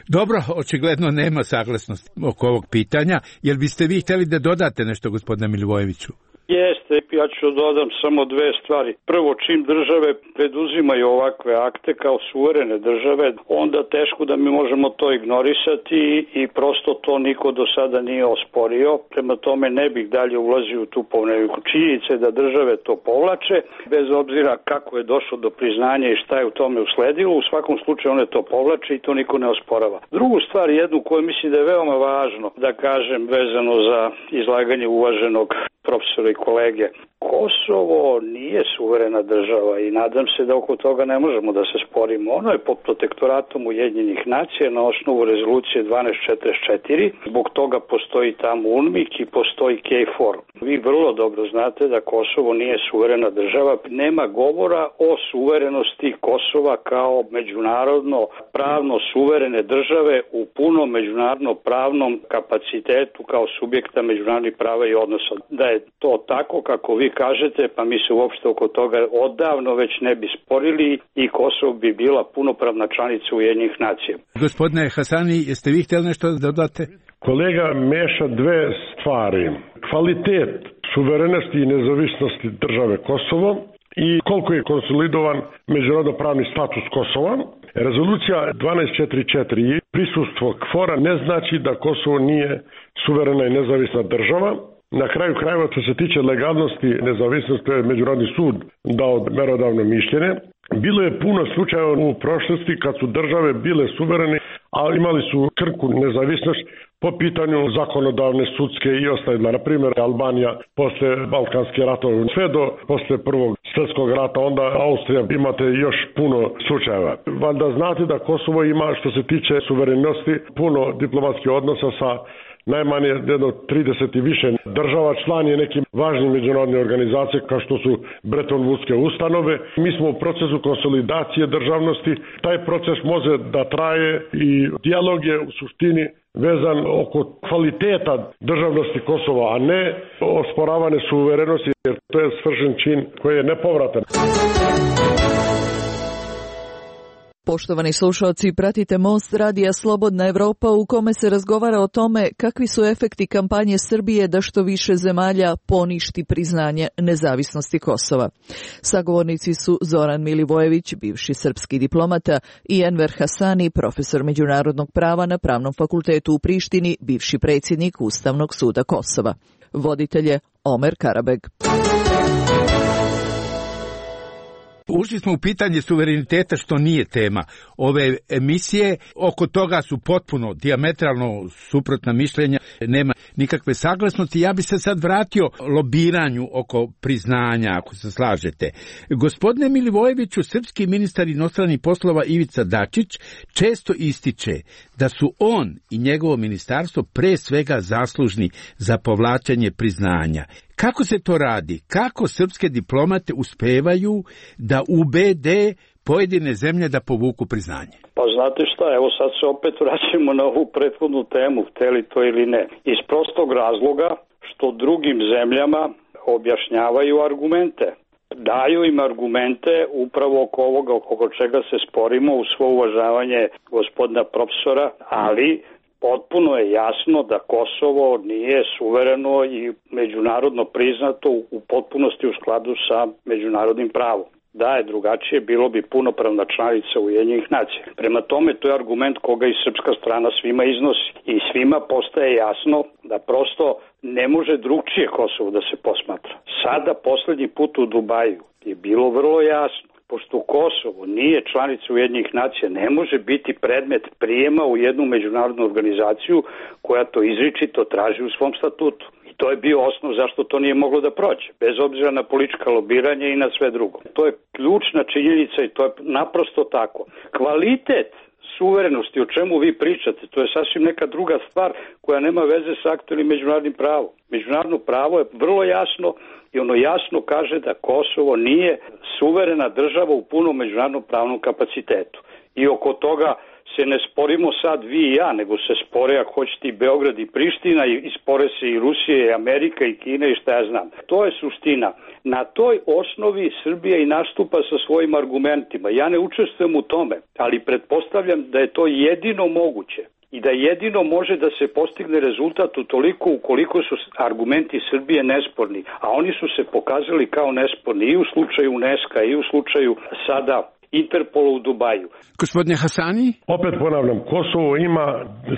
Dobro, očigledno nema saglasnosti oko ovog pitanja. Jel biste vi htjeli da dodate nešto, gospodine Milivojeviću? Jeste, ja ću dodam samo dve stvari. Prvo, čim države preduzimaju ovakve akte kao suverene države, onda teško da mi možemo to ignorisati i prosto to niko do sada nije osporio. Prema tome ne bih dalje ulazio u tu polemiku. Činjenice da države to povlače, bez obzira kako je došlo do priznanja i šta je u tome usledilo, u svakom slučaju one to povlače i to niko ne osporava. Drugu stvar, jednu koju mislim da je veoma važno da kažem vezano za izlaganje uvaženog profesora i kolege. Kosovo nije suverena država i nadam se da oko toga ne možemo da se sporimo. Ono je pod protektoratom Ujedinjenih nacija na osnovu rezolucije 1244. Zbog toga postoji tamo UNMIK i postoji KFOR. Vi vrlo dobro znate da Kosovo nije suverena država. Nema govora o suverenosti Kosova kao međunarodno pravno suverene države u punom međunarodno pravnom kapacitetu kao subjekta međunarodnih prava i odnosa. Da je to tako kako vi kažete, pa mi se uopšte oko toga odavno već ne bi sporili i Kosovo bi bila punopravna članica Ujedinjenih nacija. Gospodine Hasani, jeste vi htjeli nešto da dodate? Kolega meša dve stvari. Kvalitet suverenosti i nezavisnosti države Kosovo i koliko je konsolidovan međunarodno pravni status Kosova. Rezolucija 1244 i prisustvo KFOR-a ne znači da Kosovo nije suverena i nezavisna država. Na kraju krajeva, što se tiče legalnosti nezavisnosti, to je Međunarodni sud dao merodavno mišljenje. Bilo je puno slučajeva u prošlosti kad su države bile suverene, a imali su krku nezavisnost po pitanju zakonodavne, sudske i ostale. Na primjer, Albanija posle Balkanske ratove, sve do posle Prvog svjetskog rata, onda Austrija, imate još puno slučajeva. Valjda znate da Kosovo ima, što se tiče suverenosti, puno diplomatskih odnosa sa najmanje jedno 30 i više država, član je nekim važnim međunarodnih organizacija kao što su Bretton Woodske ustanove. Mi smo u procesu konsolidacije državnosti. Taj proces može da traje i dijalog je u suštini vezan oko kvaliteta državnosti Kosova, a ne osporavane suverenosti, jer to je svršen čin koji je nepovratan. Poštovani slušalci, pratite Most radija Slobodna Evropa u kome se razgovara o tome kakvi su efekti kampanje Srbije da što više zemalja poništi priznanje nezavisnosti Kosova. Sagovornici su Zoran Milivojević, bivši srpski diplomata, i Enver Hasani, profesor međunarodnog prava na Pravnom fakultetu u Prištini, bivši predsjednik Ustavnog suda Kosova. Voditelj je Omer Karabeg. Ušli smo u pitanje suvereniteta, što nije tema ove emisije. Oko toga su potpuno dijametralno suprotna mišljenja, nema nikakve saglasnosti. Ja bi se sad vratio lobiranju oko priznanja, ako se slažete. Gospodine Milivojeviću, srpski ministar inostranih poslova Ivica Dačić često ističe da su on i njegovo ministarstvo pre svega zaslužni za povlačenje priznanja. Kako se to radi? Kako srpske diplomate uspevaju da ubede pojedine zemlje da povuku priznanje? Pa znate šta, evo sad se opet vraćamo na ovu prethodnu temu, hteli to ili ne. Iz prostog razloga što drugim zemljama objašnjavaju argumente. Daju im argumente upravo oko ovoga, oko čega se sporimo, u svo uvažavanje gospodina profesora, ali potpuno je jasno da Kosovo nije suvereno i međunarodno priznato u potpunosti u skladu sa međunarodnim pravom. Da je drugačije, bilo bi punopravna članica Ujedinjenih nacija. Prema tome, to je argument koga i srpska strana svima iznosi. I svima postaje jasno da prosto ne može drugčije Kosovo da se posmatra. Sada, poslednji put u Dubaju, je bilo vrlo jasno. Pošto Kosovo nije članica Ujedinjenih nacija, ne može biti predmet prijema u jednu međunarodnu organizaciju koja to izričito traži u svom statutu. I to je bio osnov zašto to nije moglo da prođe, bez obzira na politička lobiranja i na sve drugo. To je ključna činjenica i to je naprosto tako. Kvalitet suverenosti, o čemu vi pričate, to je sasvim neka druga stvar koja nema veze sa aktualnim međunarodnim pravom. Međunarodno pravo je vrlo jasno i ono jasno kaže da Kosovo nije suverena država u punom međunarodnom pravnom kapacitetu. I oko toga se ne sporimo sad vi i ja, nego se spore, ako hoćete, i Beograd i Priština, i spore se i Rusija i Amerika i Kina i šta ja znam. To je suština. Na toj osnovi Srbija i nastupa sa svojim argumentima. Ja ne učestvujem u tome, ali pretpostavljam da je to jedino moguće i da jedino može da se postigne rezultat utoliko ukoliko su argumenti Srbije nesporni, a oni su se pokazali kao nesporni i u slučaju UNESCO i u slučaju sada Interpola u Dubaju. Gospodine Hasani? Opet ponavljam, Kosovo ima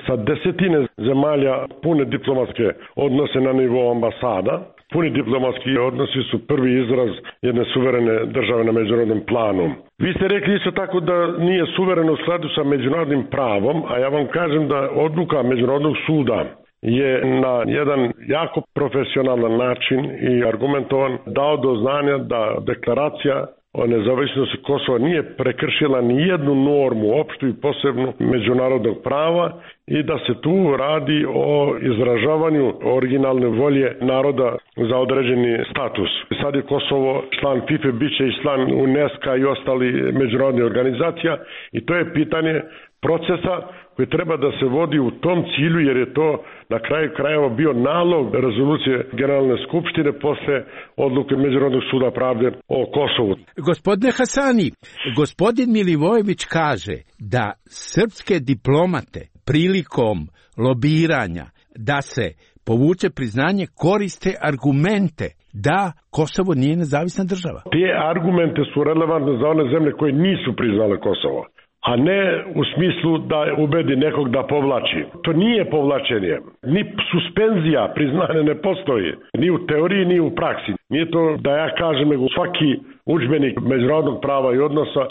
sa desetine zemalja pune diplomatske odnose na nivou ambasada. Puni diplomatski odnosi su prvi izraz jedne suverene države na međunarodnom planu. Vi ste rekli isto tako da nije suvereno u skladu sa međunarodnim pravom, a ja vam kažem da odluka Međunarodnog suda je na jedan jako profesionalan način i argumentovan dao do znanja da deklaracija o nezavisnosti Kosova nije prekršila ni jednu normu, opštu i posebnu međunarodnog prava i da se tu radi o izražavanju originalne volje naroda za određeni status. Sad je Kosovo član FIFA, bit će i član UNESCO i ostali međunarodnih organizacija i to je pitanje procesa koji treba da se vodi u tom cilju, jer je to na kraju krajeva bio nalog rezolucije Generalne skupštine posle odluke Međunarodnog suda pravde o Kosovu. Gospodine Hasani, gospodin Milivojević kaže da srpske diplomate prilikom lobiranja da se povuče priznanje koriste argumente da Kosovo nije nezavisna država. Te argumente su relevantne za one zemlje koje nisu priznale Kosovo, a ne u smislu da ubedi nekog da povlači. To nije povlačenje. Ni suspenzija priznanja ne postoji. Ni u teoriji, ni u praksi. Nije to da ja kažem, nego svaki udžbenik međunarodnog prava i odnosa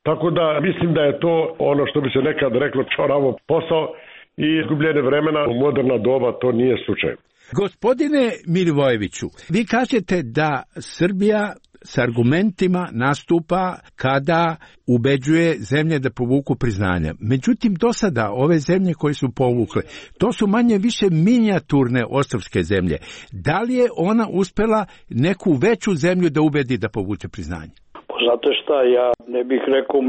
Tako da mislim da je to ono što bi se nekad reklo čoravo posao i izgubljene vremena u moderna doba, to nije slučaj. Gospodine Milivojeviću, vi kažete da Srbija s argumentima nastupa kada ubeđuje zemlje da povuku priznanja. Međutim, do sada ove zemlje koje su povukle, to su manje više minijaturne ostrvske zemlje. Da li je ona uspela neku veću zemlju da ubedi da povuče priznanje? Znate šta, ja ne bih rekao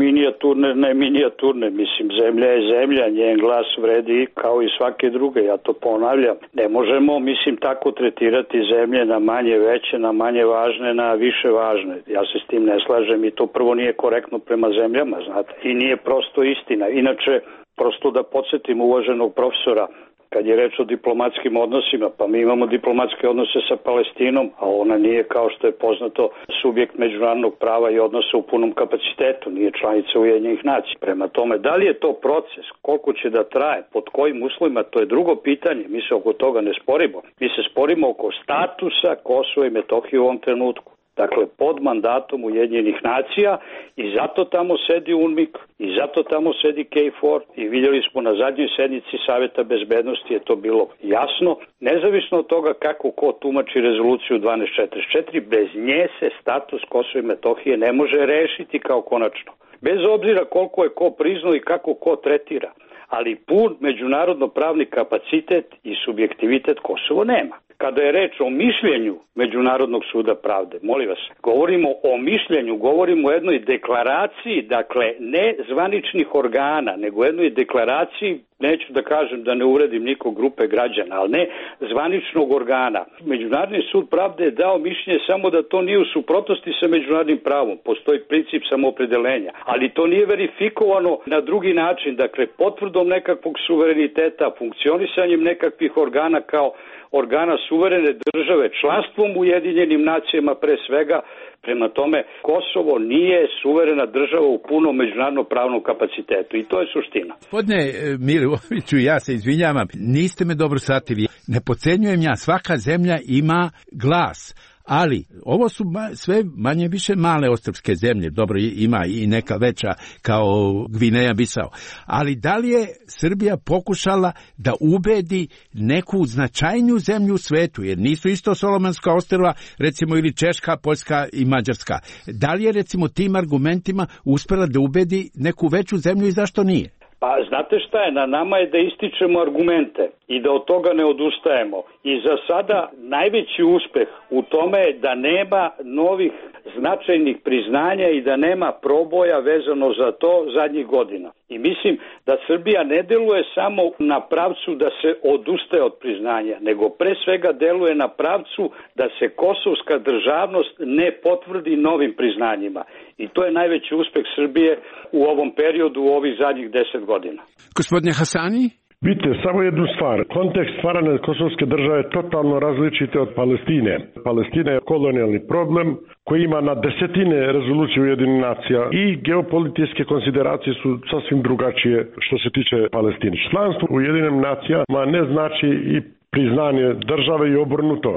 minijaturne, mislim, zemlja je zemlja, njen glas vredi kao i svake druge, ja to ponavljam. Ne možemo, mislim, tako tretirati zemlje na manje veće, na manje važne, na više važne. Ja se s tim ne slažem i to prvo nije korektno prema zemljama, znate, i nije prosto istina. Inače, prosto da podsjetim uvaženog profesora, kad je reč o diplomatskim odnosima, pa mi imamo diplomatske odnose sa Palestinom, a ona nije, kao što je poznato, subjekt međunarodnog prava i odnosa u punom kapacitetu, nije članica Ujedinjenih nacija. Prema tome, da li je to proces, koliko će da traje, pod kojim uslovima, to je drugo pitanje, mi se oko toga ne sporimo. Mi se sporimo oko statusa Kosova i Metohije u ovom trenutku. Dakle, pod mandatom Ujedinjenih nacija i zato tamo sedi UNMIK i zato tamo sedi KFOR i vidjeli smo na zadnjoj sednici Saveta bezbednosti je to bilo jasno. Nezavisno od toga kako ko tumači rezoluciju 1244, bez nje se status Kosova i Metohije ne može rešiti kao konačno. Bez obzira koliko je ko priznao i kako ko tretira, ali pun međunarodno pravni kapacitet i subjektivitet Kosovo nema. Kada je reč o mišljenju Međunarodnog suda pravde, molim vas, govorimo o mišljenju, govorimo o jednoj deklaraciji, dakle ne zvaničnih organa, nego jednoj deklaraciji, neću da kažem da ne uvredim nikog grupe građana, ali ne zvaničnog organa. Međunarodni sud pravde je dao mišljenje samo da to nije u suprotnosti sa međunarodnim pravom, postoji princip samoopredeljenja, ali to nije verifikovano na drugi način, dakle potvrdom nekakvog suvereniteta, funkcionisanjem nekakvih organa kao organa suverene države, članstvom u Ujedinjenim nacijama pre svega. Prema tome, Kosovo nije suverena država u punom međunarodnom pravnom kapacitetu i to je suština. Gospodine Milivojeviću, ja se izvinjavam, niste me dobro shvatili. Ne podcenjujem ja, svaka zemlja ima glas. Ali ovo su sve manje više male ostrvske zemlje, dobro ima i neka veća kao Gvineja Bisao, ali da li je Srbija pokušala da ubedi neku značajniju zemlju u svetu, jer nisu isto Solomonska ostrva, recimo ili Češka, Poljska i Mađarska. Da li je recimo tim argumentima uspela da ubedi neku veću zemlju i zašto nije? Pa znate šta je, na nama je da ističemo argumente i da od toga ne odustajemo. I za sada najveći uspeh u tome je da nema novih značajnih priznanja i da nema proboja vezano za to zadnjih godina. I mislim da Srbija ne deluje samo na pravcu da se odustaje od priznanja, nego pre svega deluje na pravcu da se kosovska državnost ne potvrdi novim priznanjima. I to je najveći uspeh Srbije u ovom periodu, u ovih zadnjih 10 godina. Gospodine Hasani? Vidite, samo jednu stvar. Kontekst stvaranja kosovske države je totalno različite od Palestine. Palestina je kolonijalni problem koji ima na desetine rezolucije Ujedinjenih nacija i geopolitičke konsideracije su sasvim drugačije što se tiče Palestine. Članstvo u Ujedinjenim nacijama ne znači i priznanje države i obrnuto.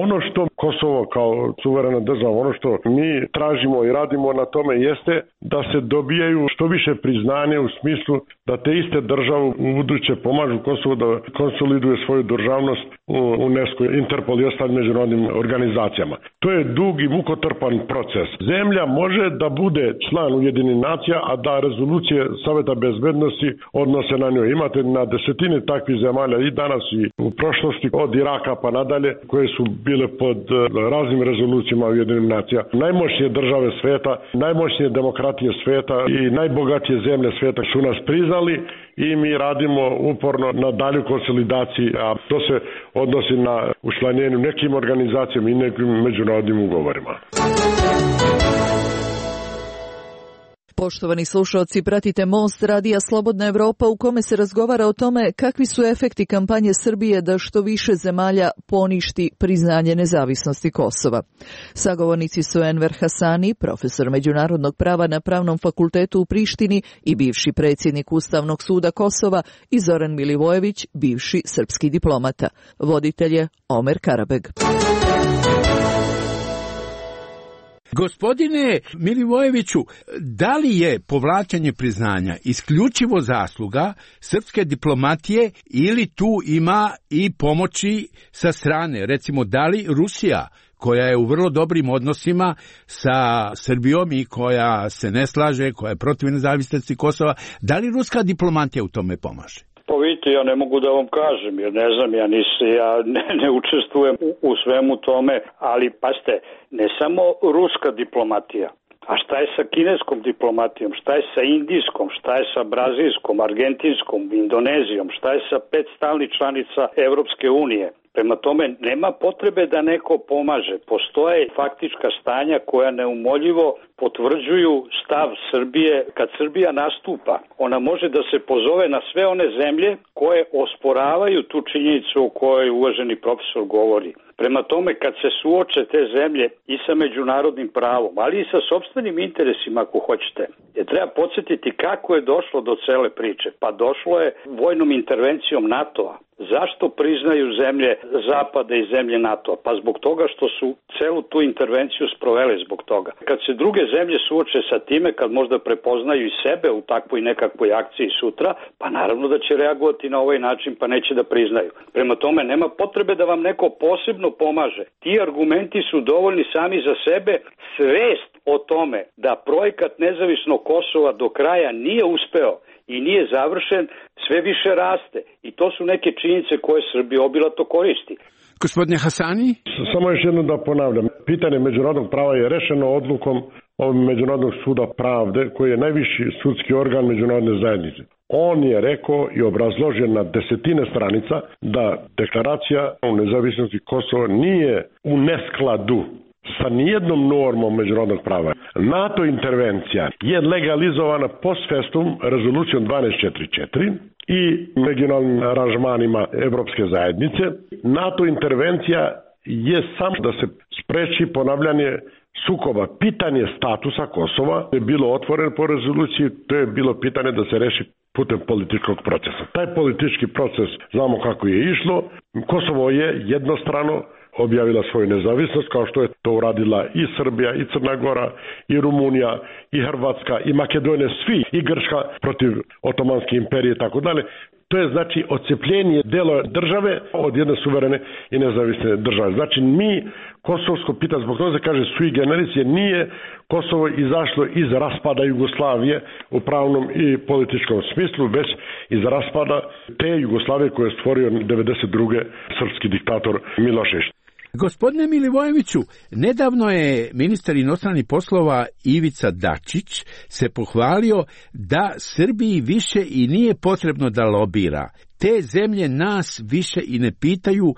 Ono što Kosovo kao suverena država, ono što mi tražimo i radimo na tome jeste da se dobijaju što više priznanje u smislu da te iste države u buduće pomažu Kosovo da konsoliduje svoju državnost u UNESCO, Interpol i ostalim međunarodnim organizacijama. To je dug i mukotrpan proces. Zemlja može da bude član Ujedinjenih nacija, a da rezolucije Saveta bezbednosti odnose na njoj. Imate na desetine takvih zemalja i danas i u prošlosti od Iraka pa nadalje koje su bile pod raznim rezolucijama Ujedinjenih nacija. Najmoćnije države sveta, najmoćnije demokratije sveta i najbogatije zemlje sveta su nas priznali i mi radimo uporno na dalju konsolidaciji, a to se odnosi na učlanjenju nekim organizacijama i nekim međunarodnim ugovorima. Poštovani slušalci, pratite Most radija Slobodna Evropa u kome se razgovara o tome kakvi su efekti kampanje Srbije da što više zemalja poništi priznanje nezavisnosti Kosova. Sagovornici su Enver Hasani, profesor međunarodnog prava na Pravnom fakultetu u Prištini i bivši predsjednik Ustavnog suda Kosova, i Zoran Milivojević, bivši srpski diplomata. Voditelj je Omer Karabeg. Gospodine Milivojeviću, da li je povlačenje priznanja isključivo zasluga srpske diplomatije ili tu ima i pomoći sa strane? Recimo, da li Rusija, koja je u vrlo dobrim odnosima sa Srbijom i koja se ne slaže, koja je protiv nezavisnosti Kosova, da li ruska diplomatija u tome pomaže? Pa vidite, ja ne mogu da vam kažem, jer ne znam, ja ne učestvujem u svemu tome, ali pazite, ne samo ruska diplomatija, a šta je sa kineskom diplomatijom, šta je sa indijskom, šta je sa brazilskom, argentinskom, Indonezijom, šta je sa 5 stalnih članica Evropske unije. Prema tome, nema potrebe da neko pomaže. Postoje faktička stanja koja neumoljivo potvrđuju stav Srbije. Kad Srbija nastupa, ona može da se pozove na sve one zemlje koje osporavaju tu činjenicu o kojoj uvaženi profesor govori. Prema tome, kad se suoče te zemlje i sa međunarodnim pravom, ali i sa sopstvenim interesima, ako hoćete, treba podsjetiti kako je došlo do cele priče. Pa došlo je vojnom intervencijom NATO-a. Zašto priznaju zemlje Zapada i zemlje NATO-a? Pa zbog toga što su celu tu intervenciju sprovele zbog toga. Kad se druge zemlje suoče sa time, kad možda prepoznaju i sebe u takvoj nekakvoj akciji sutra, pa naravno da će reagovati na ovaj način, pa neće da priznaju. Prema tome, nema potrebe da vam neko posebno pomaže. Ti argumenti su dovoljni sami za sebe. Svest o tome da projekat nezavisnog Kosova do kraja nije uspeo i nije završen, sve više raste. I to su neke činjenice koje Srbija obilato koristi. Gospodine Hasani? Samo još jedno da ponavljam. Pitanje međunarodnog prava je rešeno odlukom Međunarodnog suda pravde, koji je najviši sudski organ međunarodne zajednice. On je rekao i obrazložio na desetine stranica da deklaracija o nezavisnosti Kosova nije u neskladu sa nijednom normom međunarodnog prava. NATO intervencija je legalizovana post festum rezolucijom 1244 i regionalnim aranžmanima Evropske zajednice. NATO intervencija je samo da se spreči ponavljanje sukoba. Pitanje statusa Kosova je bilo otvoreno po rezoluciji, to je bilo pitanje da se reši putem političkog procesa. Taj politički proces znamo kako je išlo. Kosovo je jednostrano objavila svoju nezavisnost, kao što je to uradila i Srbija, i Crna Gora, i Rumunija, i Hrvatska, i Makedonija, svi, i Grčka protiv Otomanske imperije i tako dalje. To je znači odcepljenje dela države od jedne suverene i nezavisne države. Znači mi kosovsko pitanje, zbog toga se kaže sui generis, jer nije Kosovo izašlo iz raspada Jugoslavije u pravnom i političkom smislu, već iz raspada te Jugoslavije koje je stvorio 92. srpski diktator Milošević. Gospodine Milivojeviću, nedavno je ministar inostranih poslova Ivica Dačić se pohvalio da Srbiji više i nije potrebno da lobira. Te zemlje nas više i ne pitaju,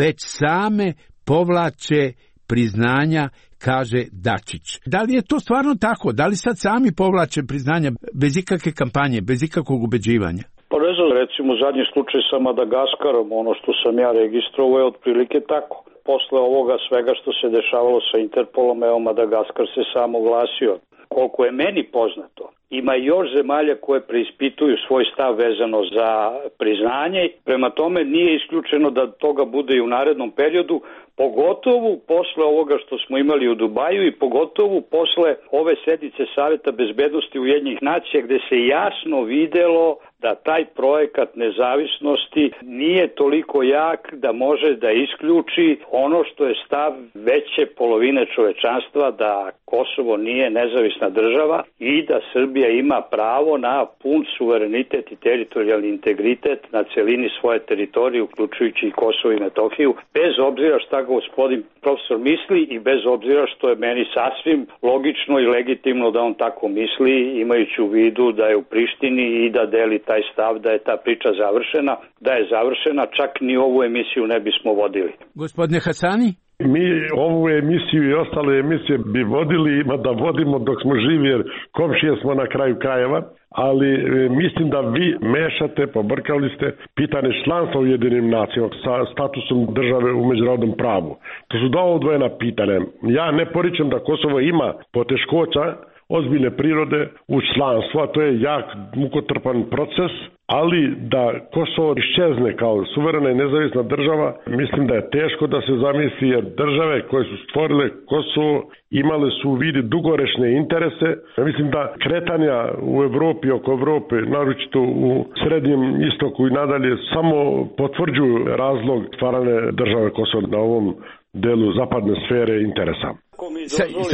već same povlače priznanja, kaže Dačić. Da li je to stvarno tako? Da li sad sami povlače priznanja bez ikakve kampanje, bez ikakvog ubeđivanja? Pa ne znam, recimo zadnji slučaj sa Madagaskarom, ono što sam ja registrovao je otprilike tako. Posle ovoga svega što se dešavalo sa Interpolom, evo Madagaskar se sam oglasio. Koliko je meni poznato, ima još zemalja koje preispituju svoj stav vezano za priznanje. Prema tome nije isključeno da toga bude i u narednom periodu, pogotovo posle ovoga što smo imali u Dubaju i pogotovo posle ove sednice Saveta bezbednosti Ujedinjenih nacija, gde se jasno videlo da taj projekat nezavisnosti nije toliko jak da može da isključi ono što je stav veće polovine čovečanstva, da Kosovo nije nezavisna država i da Srbija ima pravo na pun suverenitet i teritorijalni integritet na celini svoje teritorije, uključujući i Kosovo i Metohiju, bez obzira šta gospodin profesor misli i bez obzira što je meni sasvim logično i legitimno da on tako misli, imajući u vidu da je u Prištini i da deli taj stav da je ta priča završena. Da je završena, čak ni ovu emisiju ne bismo vodili. Gospodine Hasani? Mi ovu emisiju i ostale emisije bi vodili, da vodimo dok smo živi, jer komšije smo na kraju krajeva, ali mislim da vi mešate, pobrkali ste pitanje članstva u Ujedinjenim nacijama sa statusom države u međunarodnom pravu. To su dva odvojena pitanja. Ja ne poričem da Kosovo ima poteškoća ozbiljne prirode u članstvu, a to je jak mukotrpan proces ali da Kosovo iščezne kao suverena i nezavisna država, mislim da je teško da se zamisli, jer države koje su stvorile Kosovo imale su u vidi dugoročne interese. Mislim da kretanja u Evropi, oko Evrope, naročito u Srednjem istoku i nadalje, samo potvrđuju razlog stvarane države Kosovo na ovom delu zapadne sfere interesa.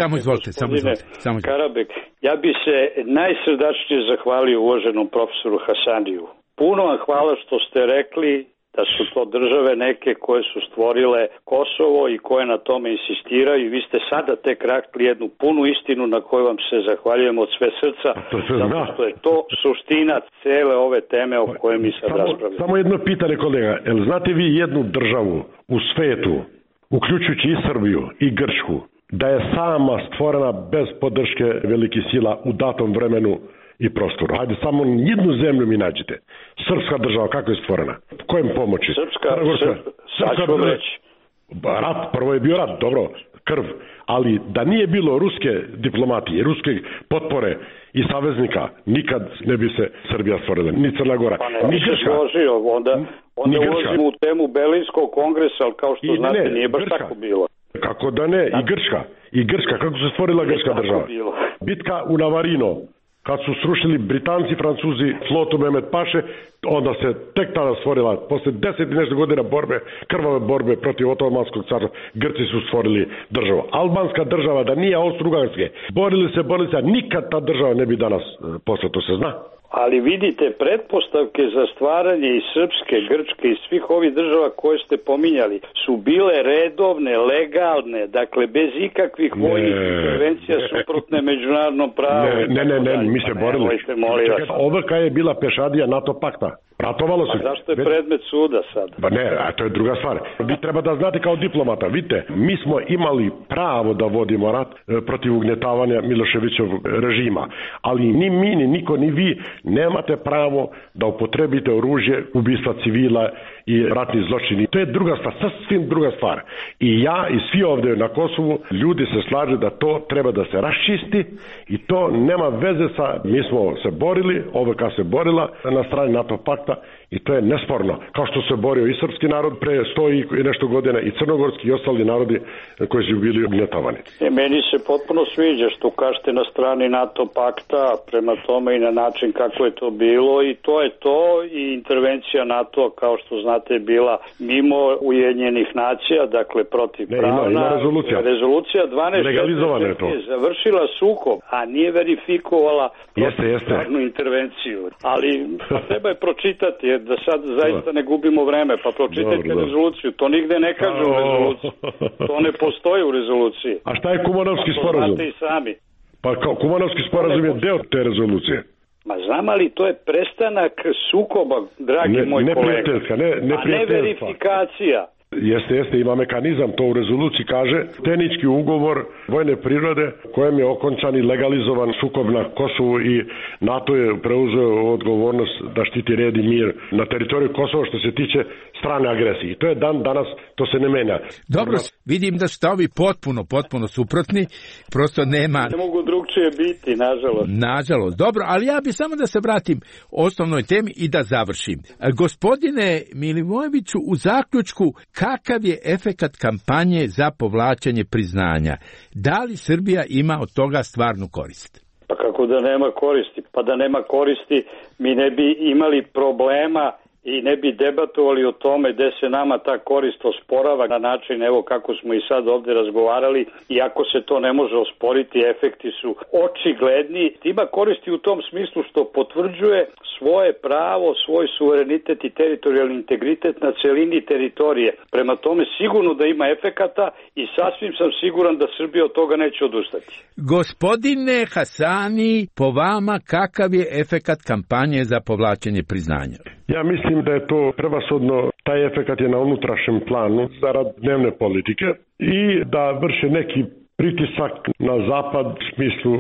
Samo izvolite. Karabek, ja bi se najsrdačnije zahvalio uvaženom profesoru Hasaniju. Puno vam hvala što ste rekli da su to države neke koje su stvorile Kosovo i koje na tome insistiraju i vi ste sada tek rekli jednu punu istinu na koju vam se zahvaljujem od sve srca, zato što je to suština cele ove teme o kojoj mi sad raspravljamo. Samo jedno pitanje, kolega, jel znate vi jednu državu u svetu, uključujući i Srbiju i Grčku, da je sama stvorena bez podrške velikih sila u datom vremenu i prostoru? Hajde, samo jednu zemlju mi nađite. Srpska država, kako je stvorena? Kojem pomoći? Srpska država. Rat, prvo je bio rat, dobro, krv. Ali da nije bilo ruske diplomatije, ruske potpore i saveznika, nikad ne bi se Srbija stvorila, ni Crna Gora, ni Grčka. Onda ulazimo u temu Berlinskog kongresa, ali kao što znate, nije baš tako bilo. Kako da ne, i Grčka, kako se stvorila Grčka država? Bitka u Navarino, kad su srušili Britanci, Francuzi, flotu Mehmet Paše, onda se tek tada stvorila, posle 10 i nešto godina krvave borbe protiv Otomanskog carstva, Grci su stvorili državu. Albanska država, da nije Austro-Ugarske, borili se, a nikad ta država ne bi danas posle, to se zna. Ali vidite, pretpostavke za stvaranje i Srpske, Grčke i svih ovih država koje ste pominjali su bile redovne, legalne, dakle bez ikakvih vojnih intervencija suprotne međunarodnom pravu. Ne, mi se borili. Ovrka je bila pešadija NATO pakta. Ratovalo se. Zašto je predmet suda sad? Ba ne, a to je druga stvar. Vi treba da znate kao diplomata, vidite, mi smo imali pravo da vodimo rat protiv ugnjetavanja Miloševićevog režima, ali ni mi, ni niko, ni vi nemate pravo da upotrebite oružje, ubistva civila i ratni zločini. To je druga stvar, sasvim druga stvar. I ja i svi ovdje na Kosovu, ljudi se slažu da to treba da se raščisti i to nema veze sa, mi smo se borili, OVK se borila na strani NATO pakta i to je nesporno. Kao što se borio i srpski narod pre 100 i nešto godina i crnogorski i ostali narodi koji su bili ugnjetavani. Meni se potpuno sviđa što kažete na strani NATO pakta, prema tome i na način kako je to bilo i to je to i intervencija NATO kao što znate je bila mimo Ujedinjenih nacija, dakle protiv pravna. Ima rezolucija 12 je završila sukob, a nije verifikovala protivpravnu intervenciju. Ali treba je pročitati, jer da sad zaista ne gubimo vreme, pa pročitajte rezoluciju. To nigde ne kaže u rezoluciji. To ne postoji u rezoluciji. A šta je Kumanovski sporazum? To znate i sami. Pa Kumanovski sporazum je deo te rezolucije. Ma znam, ali to je prestanak sukoba, dragi moj kolega. A ne verifikacija. Jeste, ima mekanizam, to u rezoluciji kaže, tehnički ugovor vojne prirode kojem je okončan i legalizovan sukob na Kosovu i NATO je preuzeo odgovornost da štiti red i mir na teritoriju Kosova što se tiče strane agresije. I to je danas, to se ne menja. Dobro, vidim da ste ovi potpuno suprotni, prosto nema... Ne mogu drugčije biti, nažalost. Nažalost, dobro, ali ja bi samo da se vratim osnovnoj temi i da završim. Gospodine Milivojeviću, u zaključku, kakav je efekat kampanje za povlačenje priznanja? Da li Srbija ima od toga stvarnu korist? Pa kako da nema koristi? Pa da nema koristi, mi ne bi imali problema i ne bi debatovali o tome gde se nama ta korist osporava na način evo kako smo i sad ovdje razgovarali, iako se to ne može osporiti, efekti su očigledni. Ima koristi u tom smislu što potvrđuje svoje pravo, svoj suverenitet i teritorijalni integritet na celini teritorije. Prema tome sigurno da ima efekata i sasvim sam siguran da Srbija od toga neće odustati. Gospodine Hasani, po vama kakav je efekat kampanje za povlačenje priznanja? Ja mislim da je to prevashodno, taj efekat je na unutrašnjem planu zarad dnevne politike i da vrše neki pritisak na zapad u smislu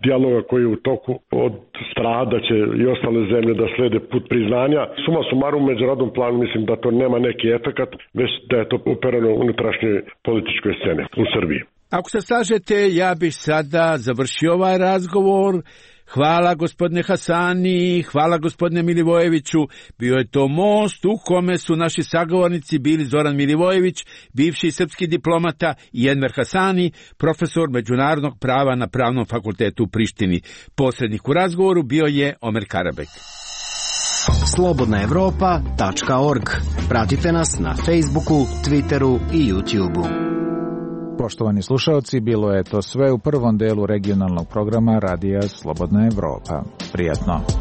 dijaloga koji je u toku od strada će i ostale zemlje da slede put priznanja. Suma sumarum u međunarodnom planu mislim da to nema neki efekat, već da je to upereno u unutrašnjoj političkoj scene u Srbiji. Ako se slažete, ja bih sada završio ovaj razgovor. Hvala gospodine Hasani, hvala gospodine Milivojeviću. Bio je to most u kome su naši sagovornici bili Zoran Milivojević, bivši srpski diplomata, i Enver Hasani, profesor međunarodnog prava na Pravnom fakultetu u Prištini. Posrednik u razgovoru bio je Omer Karabek. slobodnaevropa.org. Pratite nas na Facebooku, Twitteru i YouTubeu. Poštovani slušalci, bilo je to sve u prvom delu regionalnog programa Radija Slobodna Evropa. Prijatno.